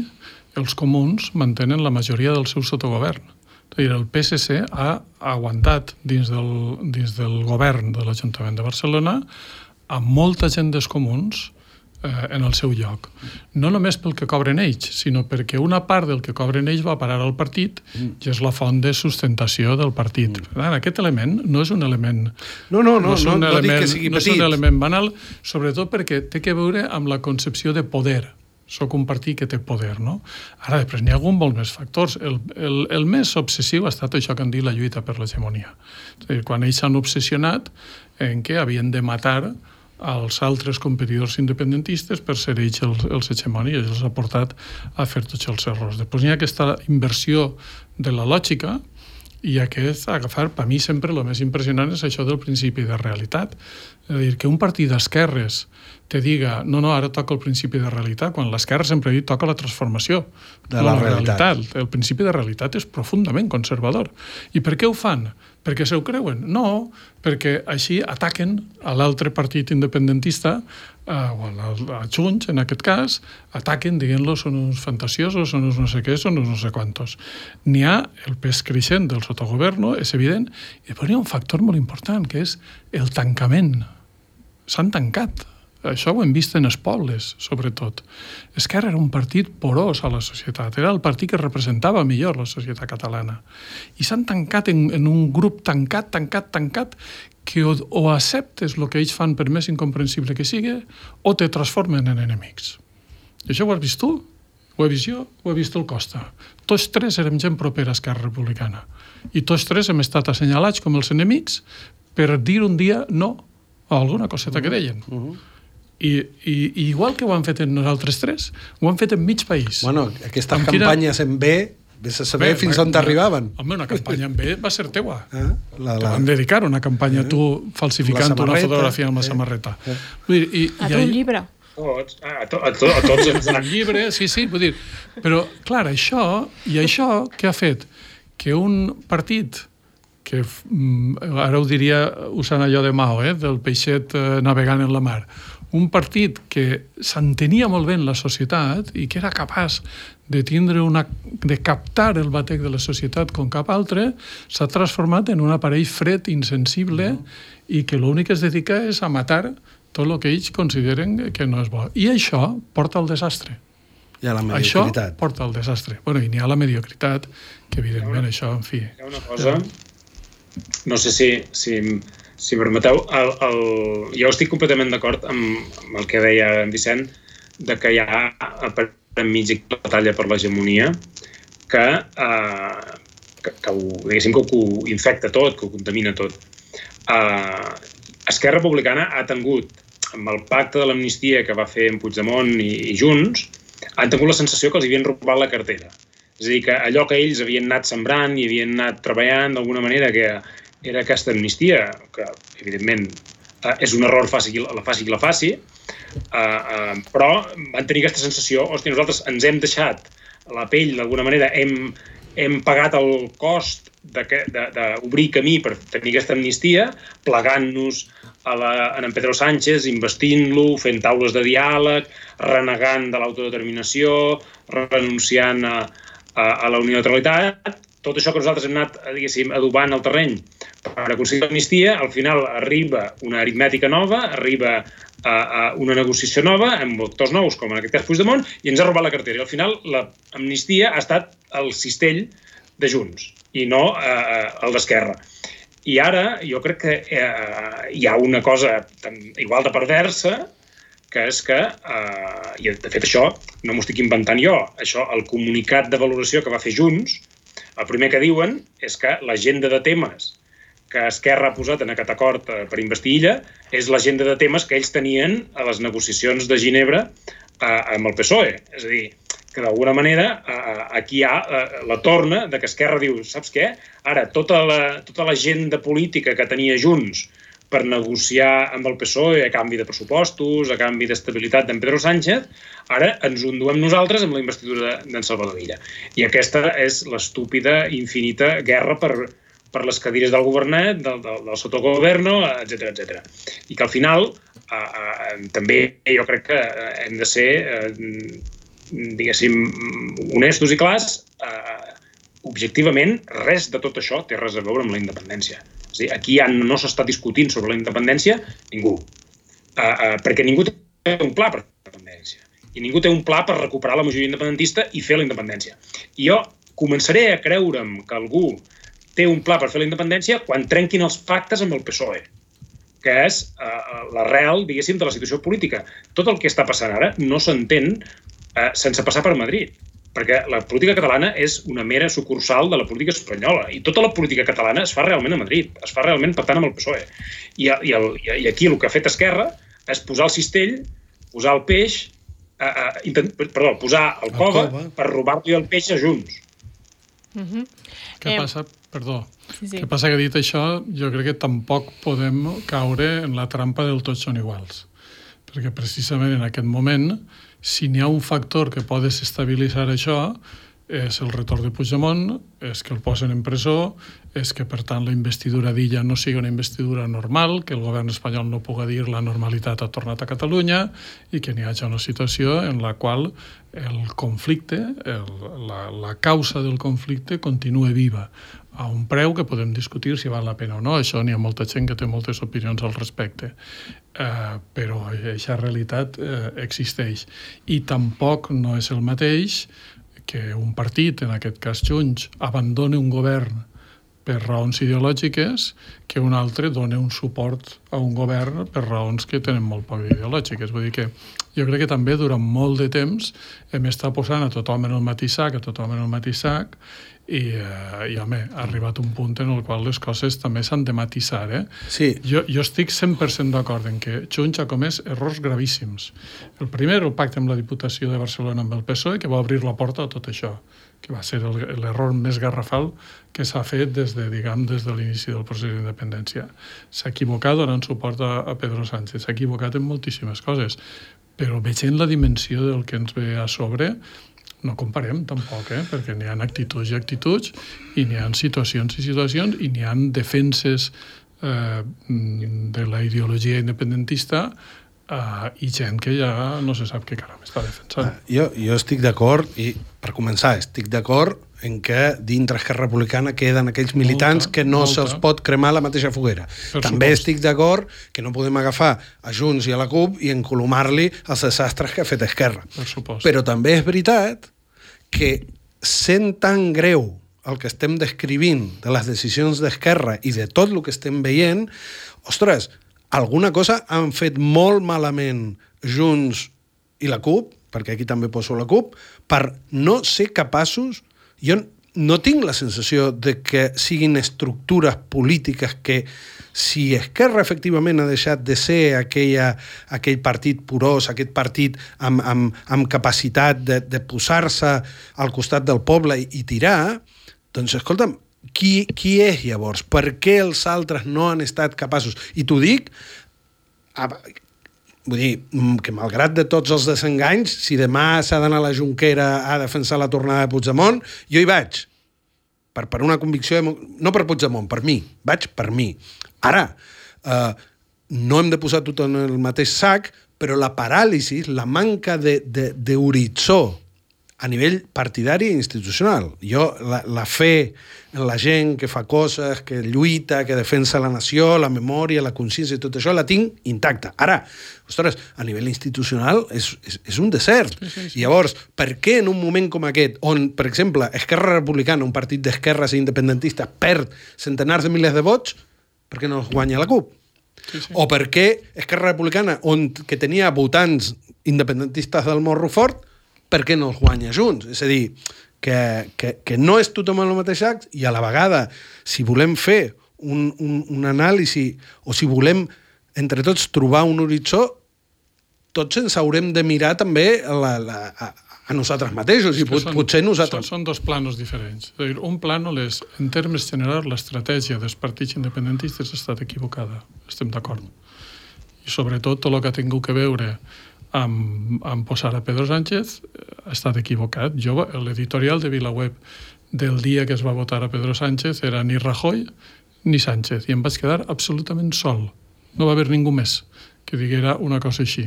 els comuns mantenen la majoria del seu sotogovern. El PSC ha aguantat dins del govern de l'Ajuntament de Barcelona amb molta gent dels comuns en el seu lloc. No només pel que cobren ells, sinó perquè una part del que cobren ells va a parar al partit i és la font de sustentació del partit. Aquest element no és un element... No dic que sigui petit. No és un element banal, sobretot perquè té que veure amb la concepció de poder. Soc un partit que té poder, no? Ara, després n'hi ha algun molt més factors. El més obsessiu ha estat això que han dit la lluita per l'hegemonia. És a dir, quan ells s'han obsessionat en què havien de matar als altres competidors independentistes per ser ells els hegemonis, i els ha portat a fer tots els errors. Després n'hi ha aquesta inversió de la lògica i aquest agafar, per mi sempre el més impressionant és això del principi de realitat. És a dir, que un partit d'esquerres te diga, no, ara toca el principi de realitat, quan l'esquerra sempre ha dit toca la transformació de la realitat. El principi de realitat és profundament conservador. I per què ho fan? Perquè se ho creuen? No, perquè així ataquen a l'altre partit independentista, o a Junts, en aquest cas, ataquen dient-lo són uns fantasiosos, són uns no sé què, són uns no sé quantos. N'hi ha el pes creixent del sotogoverno, és evident, i després hi ha un factor molt important, que és el tancament. S'han tancat. Això ho hem vist en els pobles, sobretot. Esquerra era un partit porós a la societat, era el partit que representava millor la societat catalana. I s'han tancat en un grup tancat, que o acceptes el que ells fan per més incomprensible que sigui, o te transformen en enemics. I això ho has vist tu, ho he vist jo, ho he vist el Costa. Tots tres érem gent propera a Esquerra Republicana. I tots tres hem estat assenyalats com els enemics per dir un dia no a alguna coseta que deien. I igual que ho han fet en nosaltres tres, ho han fet en mig país. Bueno, aquestes campanyes en B, vés a saber fins on t'arribaven. Home, una campanya en B va ser teua. Te van dedicar una campanya tu falsificant una fotografia amb la samarreta. A tu un llibre. A tots ens un llibre, sí, vull dir. Però, clar, això què ha fet? Que un partit que ara ho diria usant allò de Mao, del peixet navegant en la mar, un partit que s'entenia molt bé en la societat i que era capaç de captar el batec de la societat com cap altre, s'ha transformat en un aparell fred, insensible, i que l'únic que es dedica és a matar tot el que ells consideren que no és bo. I això porta al desastre. I a la mediocritat. Això porta al desastre. Bueno, i n'hi ha la mediocritat, que evidentment això, en fi... Hi ha una cosa, no sé si permeteu, jo estic completament d'acord amb el que deia en Vicent, de que hi ha enmig de la batalla per l'hegemonia que ho infecta tot, que ho contamina tot. Esquerra Republicana ha tingut, amb el pacte de l'amnistia que va fer en Puigdemont i Junts, han tingut la sensació que els havien robat la cartera. És a dir, que allò que ells havien anat sembrant i havien anat treballant d'alguna manera, que era aquesta amnistia, que evidentment és un error faci qui la faci, però van tenir aquesta sensació, hòstia, nosaltres ens hem deixat la pell, d'alguna manera, hem pagat el cost d'obrir camí per tenir aquesta amnistia, plegant-nos en Pedro Sánchez, investint-lo, fent taules de diàleg, renegant de l'autodeterminació, renunciant a la unilateralitat. Tot això que nosaltres hem anat, diguéssim, adobant el terreny per aconseguir l'amnistia, al final arriba una aritmètica nova, arriba una negociació nova, amb actors nous, com en aquest cas Puigdemont, i ens ha robat la cartera. I al final l'amnistia ha estat el cistell de Junts i no el d'Esquerra. I ara jo crec que hi ha una cosa igual de perversa, que és que, i de fet això no m'ho estic inventant jo, això, el comunicat de valoració que va fer Junts, el primer que diuen és que l'agenda de temes que Esquerra ha posat en aquest acord per investir Illa és l'agenda de temes que ells tenien a les negociacions de Ginebra amb el PSOE. És a dir, que d'alguna manera aquí hi ha la torna de que Esquerra diu, saps què? Ara, tota l'agenda política que tenia Junts per negociar amb el PSOE a canvi de pressupostos, a canvi d'estabilitat d'en Pedro Sánchez, ara ens ho enduem nosaltres amb la investidura d'en Salvador Illa. I aquesta és l'estúpida, infinita guerra per les cadires del governet, del sotogoverno, etc. I que al final també jo crec que hem de ser, diguéssim, honestos i clars. Objectivament, res de tot això té res a veure amb la independència. És a dir, aquí no s'està discutint sobre la independència ningú, perquè ningú té un pla per la independència i ningú té un pla per recuperar la majoria independentista i fer la independència. I jo començaré a creure'm que algú té un pla per fer la independència quan trenquin els pactes amb el PSOE, que és l'arrel, diguéssim, de la situació política. Tot el que està passant ara no s'entén sense passar per Madrid, perquè la política catalana és una mera sucursal de la política espanyola i tota la política catalana es fa realment a Madrid, es fa realment pactant amb el PSOE. I aquí el que ha fet Esquerra és posar el cistell, posar el peix, posar el cove per robar-li el peix a Junts. Què passa? Perdó. Què passa que dit això, jo crec que tampoc podem caure en la trampa del tots són iguals. Perquè precisament en aquest moment, si n'hi ha un factor que pot desestabilitzar això, és el retorn de Puigdemont, és que el posen en presó, és que, per tant, la investidura d'Illa no sigui una investidura normal, que el govern espanyol no pugui dir la normalitat ha tornat a Catalunya i que n'hi hagi una situació en la qual el conflicte, la causa del conflicte continua viva a un preu que podem discutir si val la pena o no. Això n'hi ha molta gent que té moltes opinions al respecte. Però aquesta realitat existeix. I tampoc no és el mateix que un partit, en aquest cas Junts, abandoni un govern per raons ideològiques que un altre doni un suport a un govern per raons que tenen molt poc ideològiques. Vull dir que jo crec que també durant molt de temps hem estat posant a tothom en el mateix sac, i home, ha arribat un punt en el qual les coses també s'han de matisar. Sí. Jo estic 100% d'acord en que Junts ha comès errors gravíssims. El primer, el pacte amb la Diputació de Barcelona amb el PSOE, que va obrir la porta a tot això, que va ser l'error més garrafal que s'ha fet des de l'inici del procés d'independència. S'ha equivocat donant suport a Pedro Sánchez, s'ha equivocat en moltíssimes coses, però veient la dimensió del que ens ve a sobre, no comparem tampoc, perquè n'hi ha actituds i actituds, i n'hi ha situacions i situacions, i n'hi ha defenses de la ideologia independentista i gent que ja no se sap què caram està defensant. Jo estic d'acord, i per començar, estic d'acord en que dintre Esquerra Republicana queden aquells militants que no se'ls pot cremar a la mateixa foguera. També estic d'acord que no podem agafar a Junts i a la CUP i encolomar-li els desastres que ha fet Esquerra. Però també és veritat que sent tan greu el que estem descrivint de les decisions d'Esquerra i de tot el que estem veient, ostres, alguna cosa han fet molt malament Junts i la CUP, perquè aquí també poso la CUP, per no ser capaços... Jo no tinc la sensació de que siguin estructures polítiques que, si Esquerra efectivament ha deixat de ser aquell partit porós, aquest partit amb capacitat de posar-se al costat del poble i tirar, doncs, escolta'm, qui és llavors? Per què els altres no han estat capaços? I t'ho dic, vull dir, que malgrat de tots els desenganys, si demà s'ha d'anar a la Jonquera a defensar la tornada de Puigdemont, jo hi vaig. Per una convicció, no per Puigdemont, per mi. Vaig per mi. Ara, no hem de posar tot en el mateix sac, però la paràlisi, la manca d'horitzó a nivell partidari i institucional. Jo, la fe en la gent que fa coses, que lluita, que defensa la nació, la memòria, la consciència i tot això, la tinc intacta. Ara, ostres, a nivell institucional és un desert. Sí. I llavors, per què en un moment com aquest, on, per exemple, Esquerra Republicana, un partit d'esquerres i independentistes, perd centenars de milers de vots, per què no els guanya la CUP? Sí. O per què Esquerra Republicana, que tenia votants independentistes del Morro Fort, per què no els guanya junts? És a dir, que no és tothom en el mateix sac i a la vegada, si volem fer un anàlisi o si volem entre tots trobar un horitzó, tots ens haurem de mirar també a nosaltres mateixos i potser nosaltres... Són dos planos diferents. És a dir, un plànol és, en termes generals, l'estratègia dels partits independentistes ha estat equivocada. Estem d'acord. I sobretot tot el que ha tingut que veure amb posar a Pedro Sánchez ha estat equivocat. L'editorial de VilaWeb del dia que es va votar a Pedro Sánchez era ni Rajoy ni Sánchez, i em vaig quedar absolutament sol. No va haver ningú més que diguera una cosa així.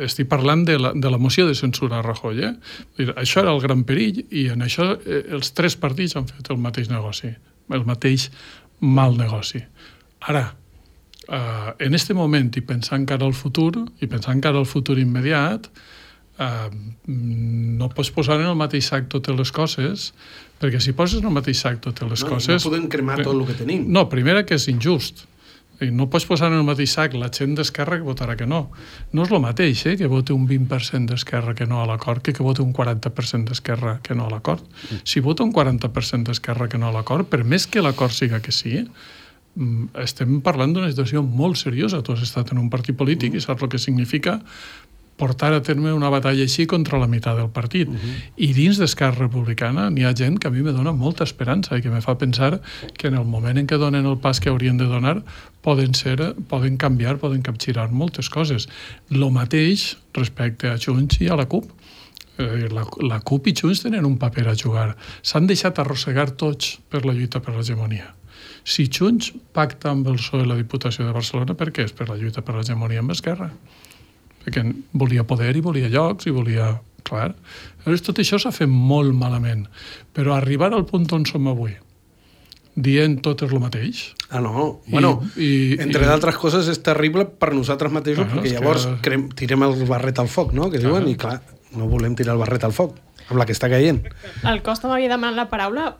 Estic parlant de la moció de censura a Rajoy. Això era el gran perill, i en això els tres partits han fet el mateix negoci, el mateix mal negoci. Ara, en este moment, i pensant cara al futur, i pensant cara al futur immediat, no pots posar en el mateix sac totes les coses, perquè si poses en el mateix sac totes les coses... No podem cremar tot el que tenim. No, primera, que és injust. No pots posar en el mateix sac la gent d'Esquerra que votarà que no. No és el mateix, que vote un 20% d'Esquerra que no a l'acord, que vote un 40% d'Esquerra que no a l'acord. Si vota un 40% d'Esquerra que no a l'acord, per més que l'acord siga que sí, estem parlant d'una situació molt seriosa. Tu has estat en un partit polític i saps el que significa portar a terme una batalla així contra la meitat del partit. I dins d'Esquerra Republicana n'hi ha gent que a mi me dona molta esperança i que me fa pensar que en el moment en què donen el pas que haurien de donar poden canviar, poden capgirar moltes coses. Lo mateix respecte a Junts i a la CUP. La CUP i Junts tenen un paper a jugar. S'han deixat arrossegar tots per la lluita per l'hegemonia. Si Junts pacta amb el PSOE la Diputació de Barcelona, per què? És per la lluita per l'hegemonia amb Esquerra. Perquè volia poder i volia llocs i volia... Clar. Llavors, tot això s'ha fet molt malament. Però arribar al punt on som avui, dient tot és el mateix... no. Entre d'altres coses és terrible per nosaltres mateixos, perquè llavors tirem el barret al foc, no? Que diuen, i clar, no volem tirar el barret al foc, amb la que està caient. El Costa m'havia demanat la paraula...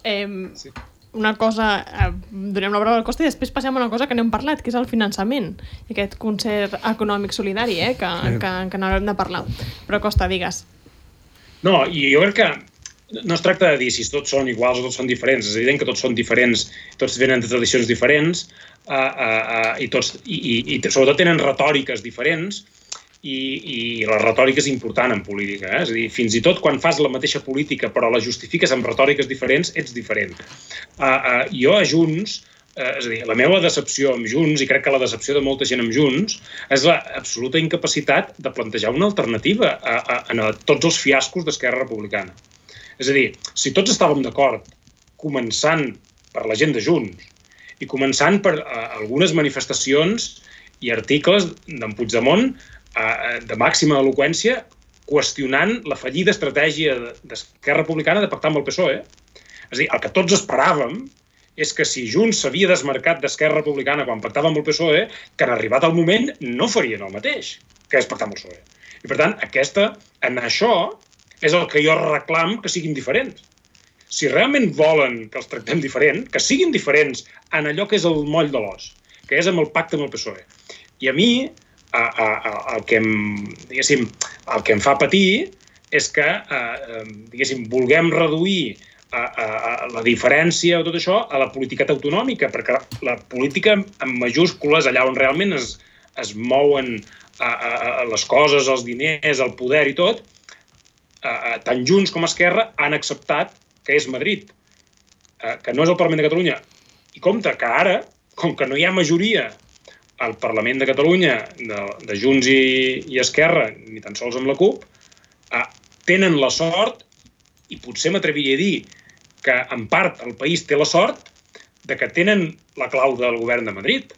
Sí. Una cosa, donem la paraula al Costa i després passem a una cosa que n'hem parlat, que és el finançament, i aquest concert econòmic solidari, que n'haurem de parlar. Però Costa, digues. No, i jo crec que no es tracta de dir si tots són iguals o tots són diferents, és evident que tots són diferents, tots venen de tradicions diferents, i sobretot tenen retòriques diferents, i la retòrica és important en política. És a dir, fins i tot quan fas la mateixa política però la justifiques amb retòriques diferents, ets diferent. Jo a Junts, és a dir, la meva decepció amb Junts, i crec que la decepció de molta gent amb Junts, és l'absoluta incapacitat de plantejar una alternativa a tots els fiascos d'Esquerra Republicana. És a dir, si tots estàvem d'acord, començant per la gent de Junts i començant per algunes manifestacions i articles d'en Puigdemont de màxima eloqüència, qüestionant la fallida estratègia d'Esquerra Republicana de pactar amb el PSOE. És a dir, el que tots esperàvem és que si Junts s'havia desmarcat d'Esquerra Republicana quan pactava amb el PSOE, que en arribat el moment no farien el mateix, que és pactar amb el PSOE. I per tant, en això és el que jo reclam que siguin diferents. Si realment volen que els tractem diferent, que siguin diferents en allò que és el moll de l'os, que és amb el pacte amb el PSOE. I a mi, el que em fa patir és que, vulguem reduir la diferència o tot això a la política autonòmica, perquè la política en majúscules, allà on realment es mouen les coses, els diners, el poder i tot, tant Junts com Esquerra han acceptat que és Madrid, que no és el Parlament de Catalunya. I compte que ara, com que no hi ha majoria al Parlament de Catalunya de Junts i Esquerra, ni tan sols amb la CUP, tenen la sort, i potser m'atreviria a dir que en part el país té la sort de que tenen la clau del govern de Madrid.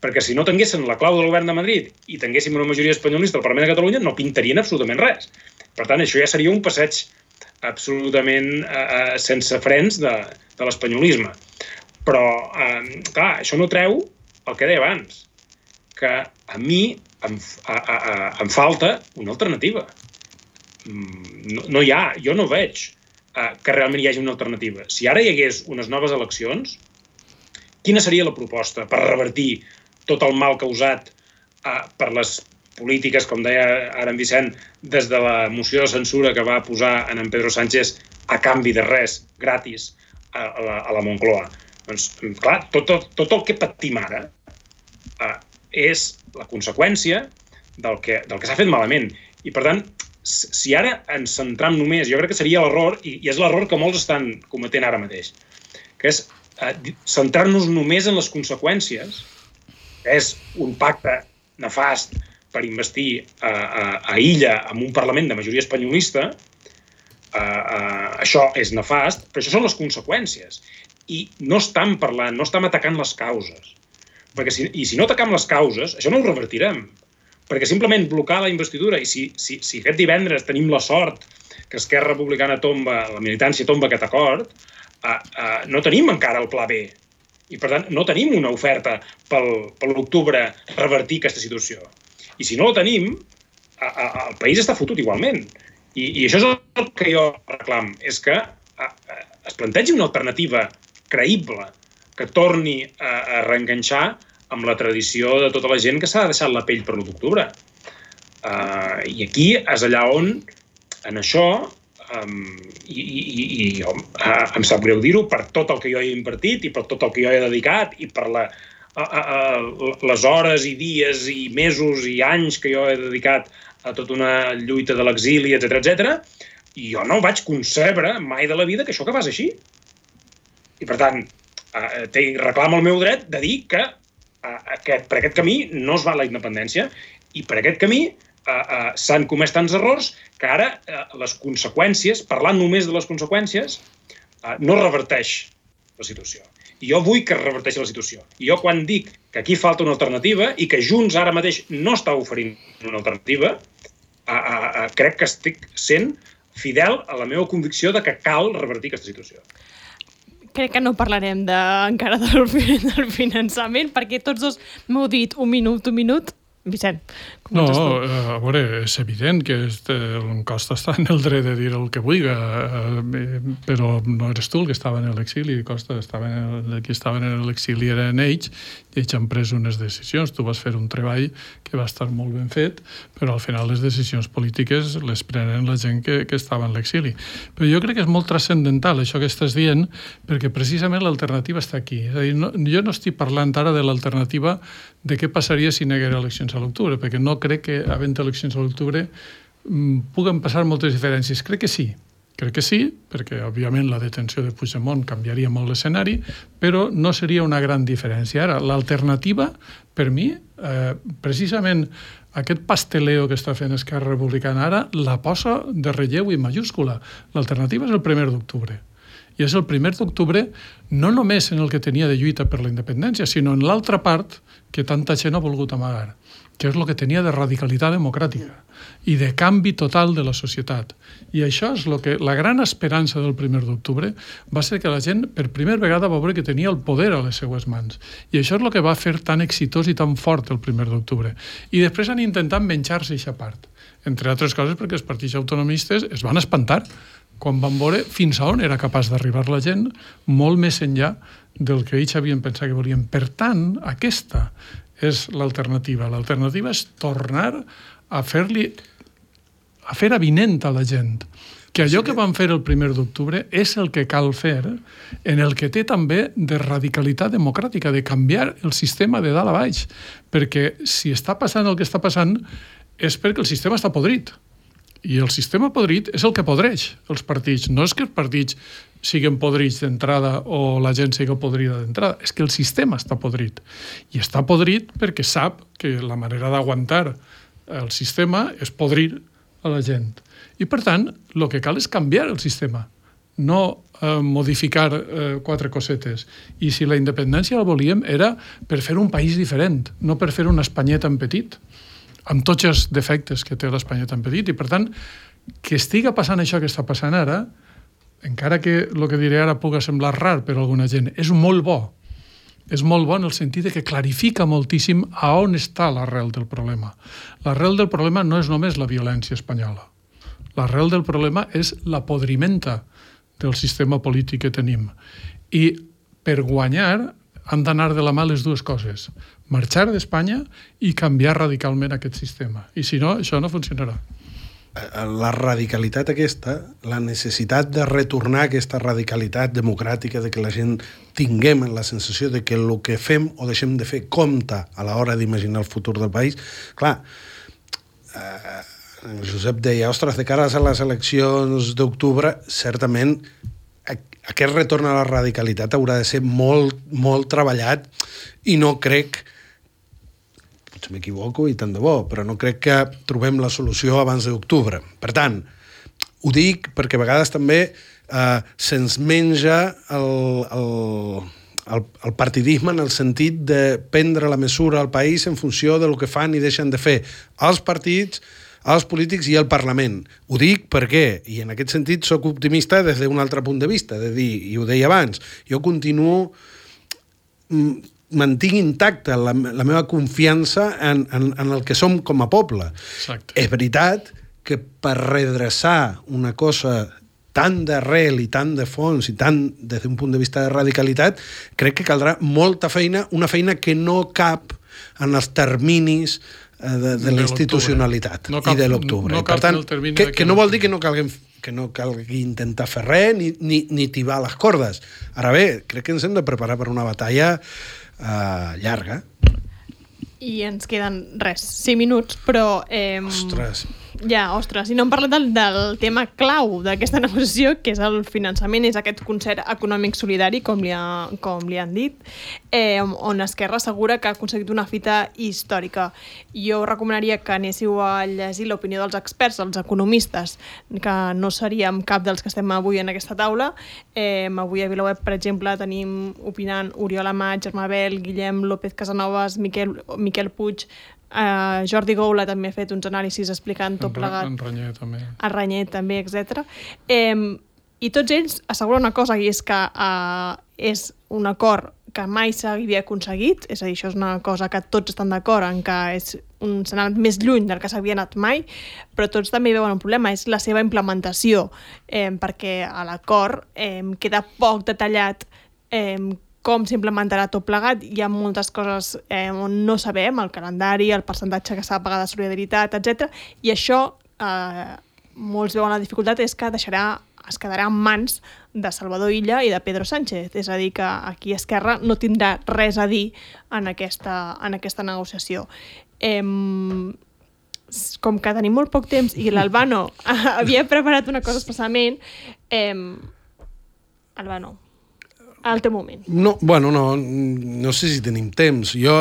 Perquè si no tinguessin la clau del govern de Madrid i tinguéssim una majoria espanyolista al Parlament de Catalunya, no pintarien absolutament res. Per tant, això ja seria un passeig absolutament sense frens de l'espanyolisme. Però, clar, això no treu el que deia abans, que a mi em falta una alternativa. No hi ha, jo no veig que realment hi hagi una alternativa. Si ara hi hagués unes noves eleccions, quina seria la proposta per revertir tot el mal causat per les polítiques, com deia ara en Vicent, des de la moció de censura que va posar en Pedro Sánchez a canvi de res, gratis, a la Moncloa? Doncs, clar, tot el que patim ara és la conseqüència del que s'ha fet malament. I, per tant, si ara ens centram només, jo crec que seria l'error, i és l'error que molts estan cometent ara mateix, que és centrar-nos només en les conseqüències, que és un pacte nefast per investir a Illa amb un Parlament de majoria espanyolista. Això és nefast, però això són les conseqüències. I no estem parlant, no estem atacant les causes. I si no atacam les causes, això no ho revertirem. Perquè simplement blocar la investidura, i si aquest divendres tenim la sort que Esquerra Republicana tomba, la militància tomba aquest acord, no tenim encara el pla B. I, per tant, no tenim una oferta per l'octubre revertir aquesta situació. I si no la tenim, el país està fotut igualment. I això és el que jo reclam, és que es plantegi una alternativa creïble que torni a reenganxar amb la tradició de tota la gent que s'ha deixat la pell per l'1 d'octubre. I aquí és allà on, en això, i em sap greu dir-ho, per tot el que jo he invertit i per tot el que jo he dedicat i per les hores i dies i mesos i anys que jo he dedicat a tota una lluita de l'exili, etc. I jo no vaig concebre mai de la vida que això acabés així. I, per tant, reclamo el meu dret de dir que per aquest camí no es va a la independència i per aquest camí s'han comès tants errors que ara les conseqüències, parlant només de les conseqüències, no reverteix la situació. I jo vull que es reverteixi la situació. I jo quan dic que aquí falta una alternativa i que Junts ara mateix no està oferint una alternativa, crec que estic sent fidel a la meva convicció de que cal revertir aquesta situació. Crec que no parlarem encara del finançament, perquè tots dos m'heu dit un minut. Vicent, comences tu. A veure, és evident que el Costa està en el dret de dir el que vulgui, però no eres tu el que estava en l'exili, Costa, el que estava en l'exili eren ells, i ells han pres unes decisions. Tu vas fer un treball que va estar molt ben fet, però al final les decisions polítiques les prenen la gent que estava en l'exili. Però jo crec que és molt transcendental això que estàs dient, perquè precisament l'alternativa està aquí. És a dir, jo no estic parlant ara de l'alternativa de què passaria si n'haguera eleccions a l'octubre, perquè no crec que, havent eleccions a l'octubre, puguen passar moltes diferències. Crec que sí, perquè, òbviament, la detenció de Puigdemont canviaria molt l'escenari, però no seria una gran diferència. Ara, l'alternativa, per mi, precisament aquest pasteleo que està fent Esquerra Republicana ara, la posa de relleu i majúscula. L'alternativa és el 1 d'octubre. I és el 1 d'octubre no només en el que tenia de lluita per la independència, sinó en l'altra part que tanta gent ha volgut amagar, que és el que tenia de radicalitat democràtica i de canvi total de la societat. I això és la gran esperança del 1 d'octubre va ser que la gent per primera vegada va veure que tenia el poder a les seues mans. I això és el que va fer tan exitós i tan fort el 1 d'octubre. I després han intentat menjar-se aquesta part. Entre altres coses perquè els partits autonomistes es van espantar quan van veure fins a on era capaç d'arribar la gent, molt més enllà del que ells havien pensat que volien. Per tant, aquesta és l'alternativa. L'alternativa és tornar a fer avinent a la gent que allò que van fer el 1 d'octubre és el que cal fer en el que té també de radicalitat democràtica, de canviar el sistema de dalt a baix. Perquè si està passant el que està passant és perquè el sistema està podrit. I el sistema podrit és el que podreix els partits. No és que els partits siguin podrits d'entrada o la gent sigui podrida d'entrada. És que el sistema està podrit. I està podrit perquè sap que la manera d'aguantar el sistema és podrir a la gent. I, per tant, el que cal és canviar el sistema, no modificar 4 cosetes. I si la independència la volíem era per fer un país diferent, no per fer una Espanyeta en petit, amb tots els defectes que té l'Espanyeta en petit. I, per tant, que estiga passant això que està passant ara, encara que el que diré ara puga semblar rar per a alguna gent, és molt bo. És molt bo en el sentit que clarifica moltíssim a on està l'arrel del problema. L'arrel del problema no és només la violència espanyola. L'arrel del problema és la podrimenta del sistema polític que tenim. I per guanyar han d'anar de la mà les dues coses. Marxar d'Espanya i canviar radicalment aquest sistema. I si no, això no funcionarà. La radicalitat aquesta, la necessitat de retornar a aquesta radicalitat democràtica, de que la gent tinguem la sensació de que el que fem o deixem de fer compta a l'hora d'imaginar el futur del país, clar, Josep deia, ostres, de cara a les eleccions d'octubre, certament aquest retorn a la radicalitat haurà de ser molt, molt treballat i no crec, potser m'equivoco i tant de bo, però no crec que trobem la solució abans d'octubre. Per tant, ho dic perquè a vegades també se'ns menja el partidisme en el sentit de prendre la mesura al país en funció del que fan i deixen de fer els partits, els polítics i el Parlament. Ho dic perquè, i en aquest sentit soc optimista des d'un altre punt de vista, de dir, i ho deia abans, jo continuo, mantinc intacta la meva confiança en el que som com a poble. Exacte. És veritat que per redreçar una cosa tan d'arrel i tan de fons i tan des d'un punt de vista de radicalitat, crec que caldrà molta feina, una feina que no cap en els terminis de la institucionalitat i de l'octubre. No per tant, que no vol dir que no calgui intentar fer res ni tibar les cordes. Ara bé, crec que ens hem de preparar per una batalla llarga. I ens queden 5 minuts, però... Ostres. Ostres, i no hem parlat del tema clau d'aquesta negociació, que és el finançament, és aquest concert econòmic solidari, com li han dit, on Esquerra assegura que ha aconseguit una fita històrica. Jo recomanaria que anéssiu a llegir l'opinió dels experts, els economistes, que no seríem cap dels que estem avui en aquesta taula. Avui a VilaWeb, per exemple, tenim opinant Oriol Amat, Germà Bel, Guillem López Casanovas, Miquel Puig, Jordi Goula també ha fet uns anàlisis explicant tot plegat. En Ranyer també. A Ranyer també, etc. I tots ells asseguren una cosa, i és que és un acord que mai s'havia aconseguit, és a dir, això és una cosa que tots estan d'acord en que s'ha anat més lluny del que s'havia anat mai, però tots també veuen un problema, és la seva implementació, perquè a l'acord queda poc detallat com s'implementarà tot plegat. Hi ha moltes coses on no sabem, el calendari, el percentatge que s'ha de pagar de solidaritat, etc. I això, molts veuen la dificultat, és que es quedarà en mans de Salvador Illa i de Pedro Sánchez. És a dir, que aquí Esquerra no tindrà res a dir en aquesta negociació. Com que tenim molt poc temps i l'Albano havia preparat una cosa especialment, Albano, al teu moment. No sé si tenim temps. Jo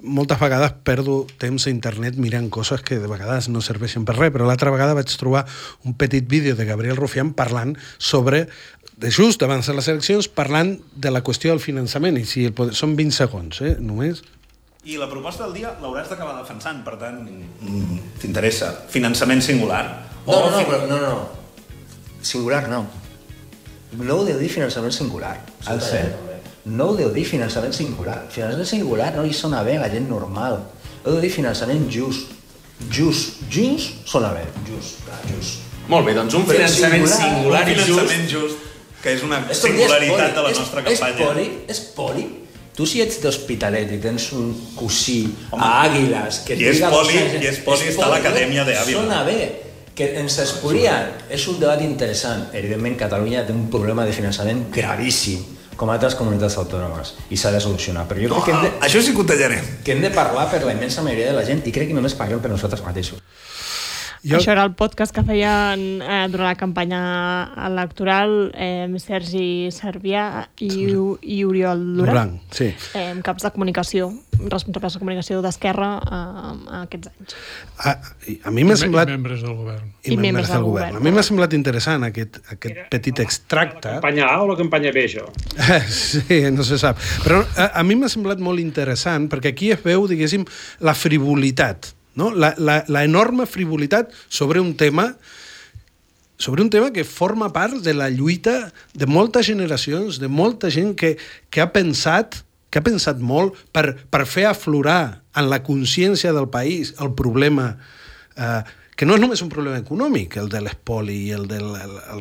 moltes vegades perdo temps a internet mirant coses que de vegades no serveixen per res, però l'altra vegada vaig trobar un petit vídeo de Gabriel Rufián parlant sobre, just abans de les eleccions, parlant de la qüestió del finançament, i si són 20 segons, només. I la proposta del dia l'hauràs d'acabar defensant, per tant, t'interessa. Finançament singular? No. Singular no. No ho deu dir finançament singular. No ho deu dir finançament singular. Finançament singular no li sona bé a la gent normal. Ho deu dir finançament just. Just sona bé. Just. Molt bé, doncs un finançament singular i just. Un finançament just, que és una singularitat de la nostra campanya. És poli. Tu si ets d'Hospitalet i tens un cosí a Àguiles... I és poli, està a l'Acadèmia d'Àvila. Sona bé. Que ens es podria... És un debat interessant. Evidentment, Catalunya té un problema de finançament gravíssim, com altres comunitats autònomes, i s'ha de solucionar. Però jo crec que això sí que ho tallarem. Que hem de parlar per la immensa majoria de la gent, i crec que només parlem per nosaltres mateixos. Això era el podcast que feien durant la campanya electoral Sergi Servià i Oriol Duran, sí. Caps de comunicació, responsables de comunicació d'Esquerra aquests anys. A mi m'ha semblat... I membres del govern. I membres del govern. A mi m'ha semblat interessant aquest petit extracte. La campanya A o la campanya B, això? Sí, no se sap. Però a mi m'ha semblat molt interessant perquè aquí es veu, diguéssim, la frivolitat, no? La enorme frivolitat sobre un tema que forma part de la lluita de moltes generacions, de molta gent que ha pensat molt per fer aflorar en la consciència del país el problema, que no és només un problema econòmic, el de l'espoli i el del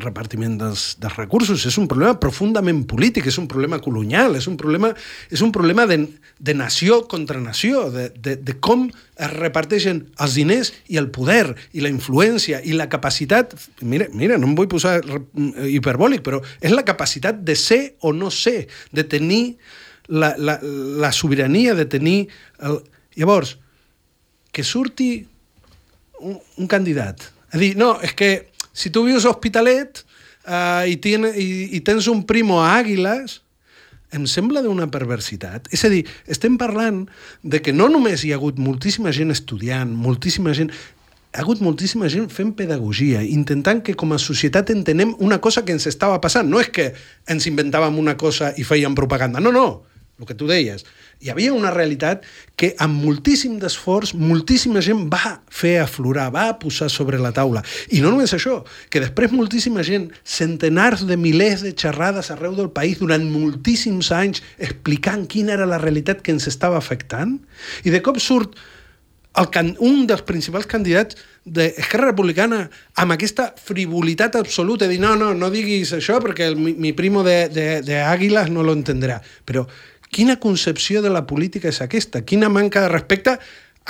repartiment dels recursos, és un problema profundament polític, és un problema colonial, és un problema de nació contra nació, de com es reparteixen els diners i el poder i la influència i la capacitat, mira, no em vull posar hiperbòlic, però és la capacitat de ser o no ser, de tenir la sobirania, de tenir... Llavors, que surti un candidat a dir, no, és que si tu vius a Hospitalet i tens un primo a Àguiles, em sembla d'una perversitat. És a dir, estem parlant de que no només hi ha hagut moltíssima gent estudiant, hi ha hagut moltíssima gent fent pedagogia, intentant que com a societat entenem una cosa que ens estava passant. No és que ens inventàvem una cosa i fèiem propaganda. No, el que tu deies. Hi havia una realitat que amb moltíssim d'esforç, moltíssima gent va fer aflorar, va posar sobre la taula. I no només això, que després moltíssima gent, centenars de milers de xerrades arreu del país durant moltíssims anys explicant quina era la realitat que ens estava afectant, i de cop surt un dels principals candidats d'Esquerra Republicana amb aquesta frivolitat absoluta, de dir, no diguis això perquè mi primo de Àguiles no lo entendrà. Però quina concepció de la política és aquesta? Quina manca de respecte a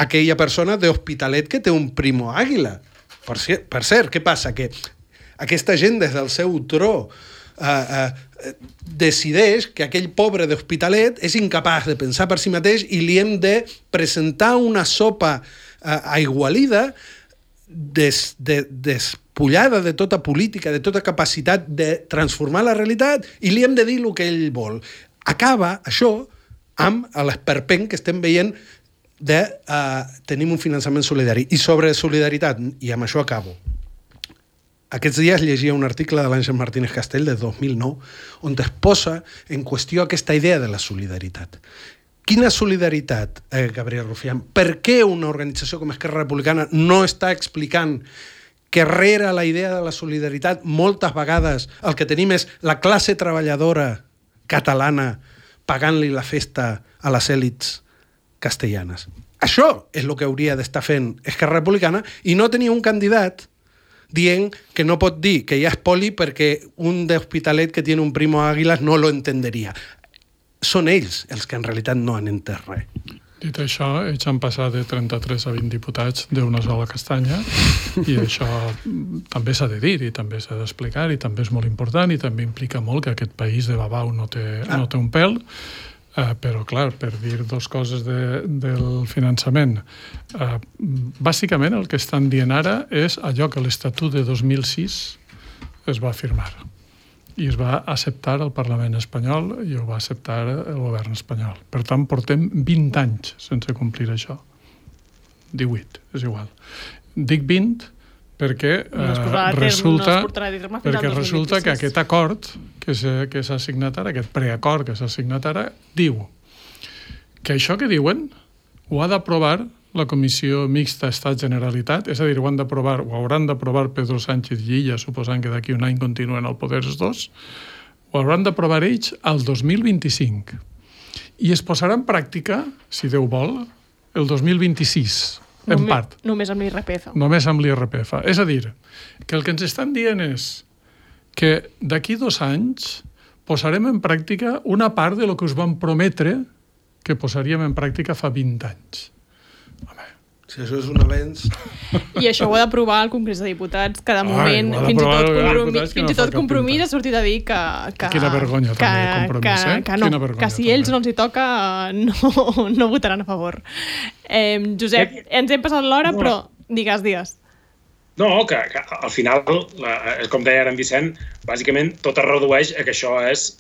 aquella persona d'Hospitalet que té un primo Àguila? Per cert, què passa? Que aquesta gent des del seu tro decideix que aquell pobre d'Hospitalet és incapaç de pensar per si mateix i li hem de presentar una sopa aigualida despullada de tota política, de tota capacitat de transformar la realitat, i li hem de dir el que ell vol. Acaba això amb l'esperpent que estem veient de tenim un finançament solidari. I sobre solidaritat, i amb això acabo, aquests dies llegia un article de l'Àngel Martínez Castell de 2009 on es posa en qüestió aquesta idea de la solidaritat. Quina solidaritat, Gabriel Rufián? Per què una organització com Esquerra Republicana no està explicant que rere la idea de la solidaritat moltes vegades el que tenim és la classe treballadora catalana pagant-li la festa a les èlits castellanes? Això és el que hauria d'estar fent Esquerra Republicana i no tenir un candidat dient que no pot dir que hi ha espoli perquè un d'Hospitalet que tiene un primo a Àguiles no lo entenderia. Són ells els que en realitat no han entès res. Dit això, ells han passat de 33 a 20 diputats d'una sola castanya i això també s'ha de dir i també s'ha d'explicar i també és molt important i també implica molt que aquest país de babau no té un pèl. Però, clar, per dir dues coses del finançament, bàsicament el que estan dient ara és allò que l'Estatut de 2006 es va firmar i es va acceptar al Parlament espanyol i ho va acceptar el govern espanyol. Per tant, portem 20 anys sense complir això. 18, és igual. Dic 20 perquè resulta que aquest acord que s'ha signat ara, aquest preacord que s'ha signat ara, diu que això que diuen ho ha d'aprovar la Comissió Mixta Estat-Generalitat, és a dir, ho hauran d'aprovar Pedro Sánchez i Illa, suposant que d'aquí un any continuen al poder els dos, ho hauran d'aprovar ells al 2025. I es posarà en pràctica, si Déu vol, el 2026. En part. Només amb l'IRPF. Només amb l'IRPF. És a dir, que el que ens estan dient és que d'aquí 2 anys posarem en pràctica una part de lo que us vam prometre que posaríem en pràctica fa 20 anys. Home, Si això és un avenç... I això ho ha d'aprovar el Congrés de Diputats, que de moment fins i tot Compromís ha sortit a dir que quina vergonya també, Compromís, que si ells no els hi toca no votaran a favor. Josep, ens hem passat l'hora, però digues. No, que al final, com deia ara en Vicent, bàsicament tot es redueix a que això és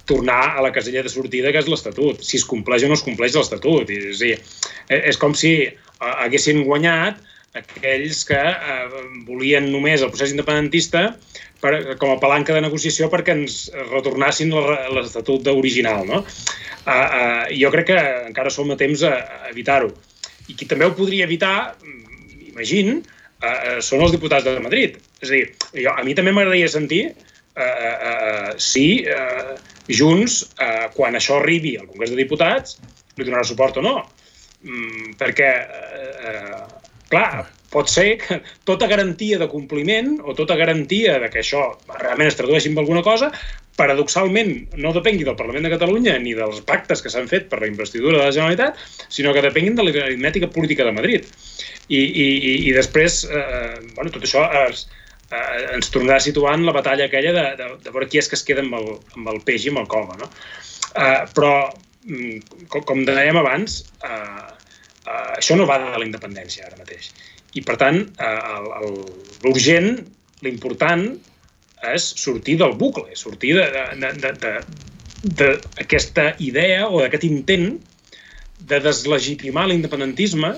tornar a la casella de sortida, que és l'Estatut. Si es compleix o no es compleix l'Estatut. És com si haguessin guanyat aquells que volien només el procés independentista com a palanca de negociació perquè ens retornassin l'Estatut original, no? Jo crec que encara som a temps a evitar-ho. I qui també ho podria evitar, imagino, són els diputats de Madrid. És a dir, a mi també m'agradaria sentir si Junts, quan això arribi al Congrés de Diputats, li donarà suport o no. Perquè, clar, pot ser que tota garantia de compliment o tota garantia de que això realment es tradueixi en alguna cosa, paradoxalment no depengui del Parlament de Catalunya ni dels pactes que s'han fet per la investidura de la Generalitat, sinó que depenguin de l'aritmètica política de Madrid. I després, tot això ens tornarà a situar en la batalla aquella de veure qui és que es queda amb el peix i amb el cova, no? Però, com dèiem abans, això no va de la independència ara mateix. I, per tant, l'urgent, l'important, és sortir del bucle, sortir d'aquesta idea o d'aquest intent de deslegitimar l'independentisme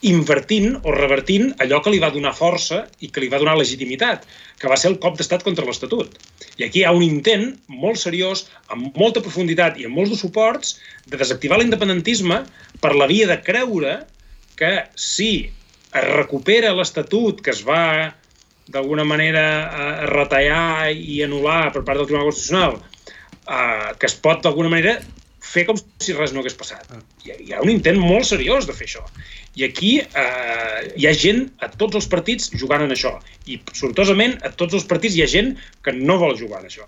invertint o revertint allò que li va donar força i que li va donar legitimitat, que va ser el cop d'estat contra l'Estatut. I aquí hi ha un intent molt seriós, amb molta profunditat i amb molts de suports, de desactivar l'independentisme per la via de creure que si es recupera l'Estatut que es va d'alguna manera retallar i anul·lar per part del Tribunal Constitucional, que es pot d'alguna manera fer com si res no hagués passat. Hi ha un intent molt seriós de fer això. I aquí hi ha gent a tots els partits jugant en això. I, sortosament, a tots els partits hi ha gent que no vol jugar en això.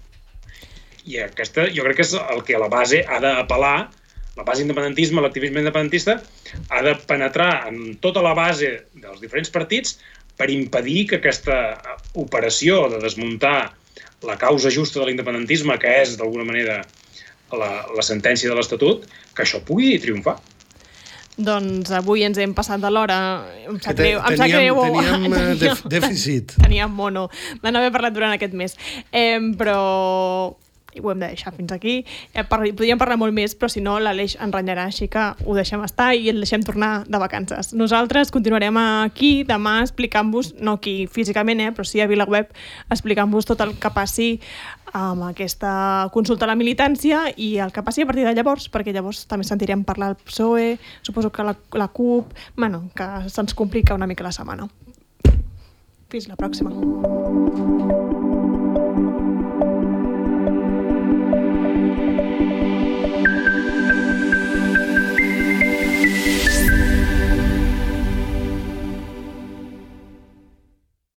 I aquesta, jo crec que és el que a la base ha d'apel·lar, la base independentisme, l'activisme independentista, ha de penetrar en tota la base dels diferents partits per impedir que aquesta operació de desmuntar la causa justa de l'independentisme, que és, d'alguna manera, la sentència de l'Estatut, que això pugui triomfar. Doncs avui ens hem passat de l'hora. Em sap greu. Teníem dèficit. Teníem mono de no haver parlat durant aquest mes. Però ho hem de deixar fins aquí. Podríem parlar molt més, però si no l'Aleix ens renyarà, així que ho deixem estar i el deixem tornar de vacances. Nosaltres continuarem aquí demà explicant-vos, no aquí físicament, però sí a VilaWeb, explicant-vos tot el que passi amb aquesta consulta a la militància i el que passi a partir de llavors, perquè llavors també sentirem parlar del PSOE, suposo que la CUP, que se'ns complica una mica la setmana. Fins la pròxima.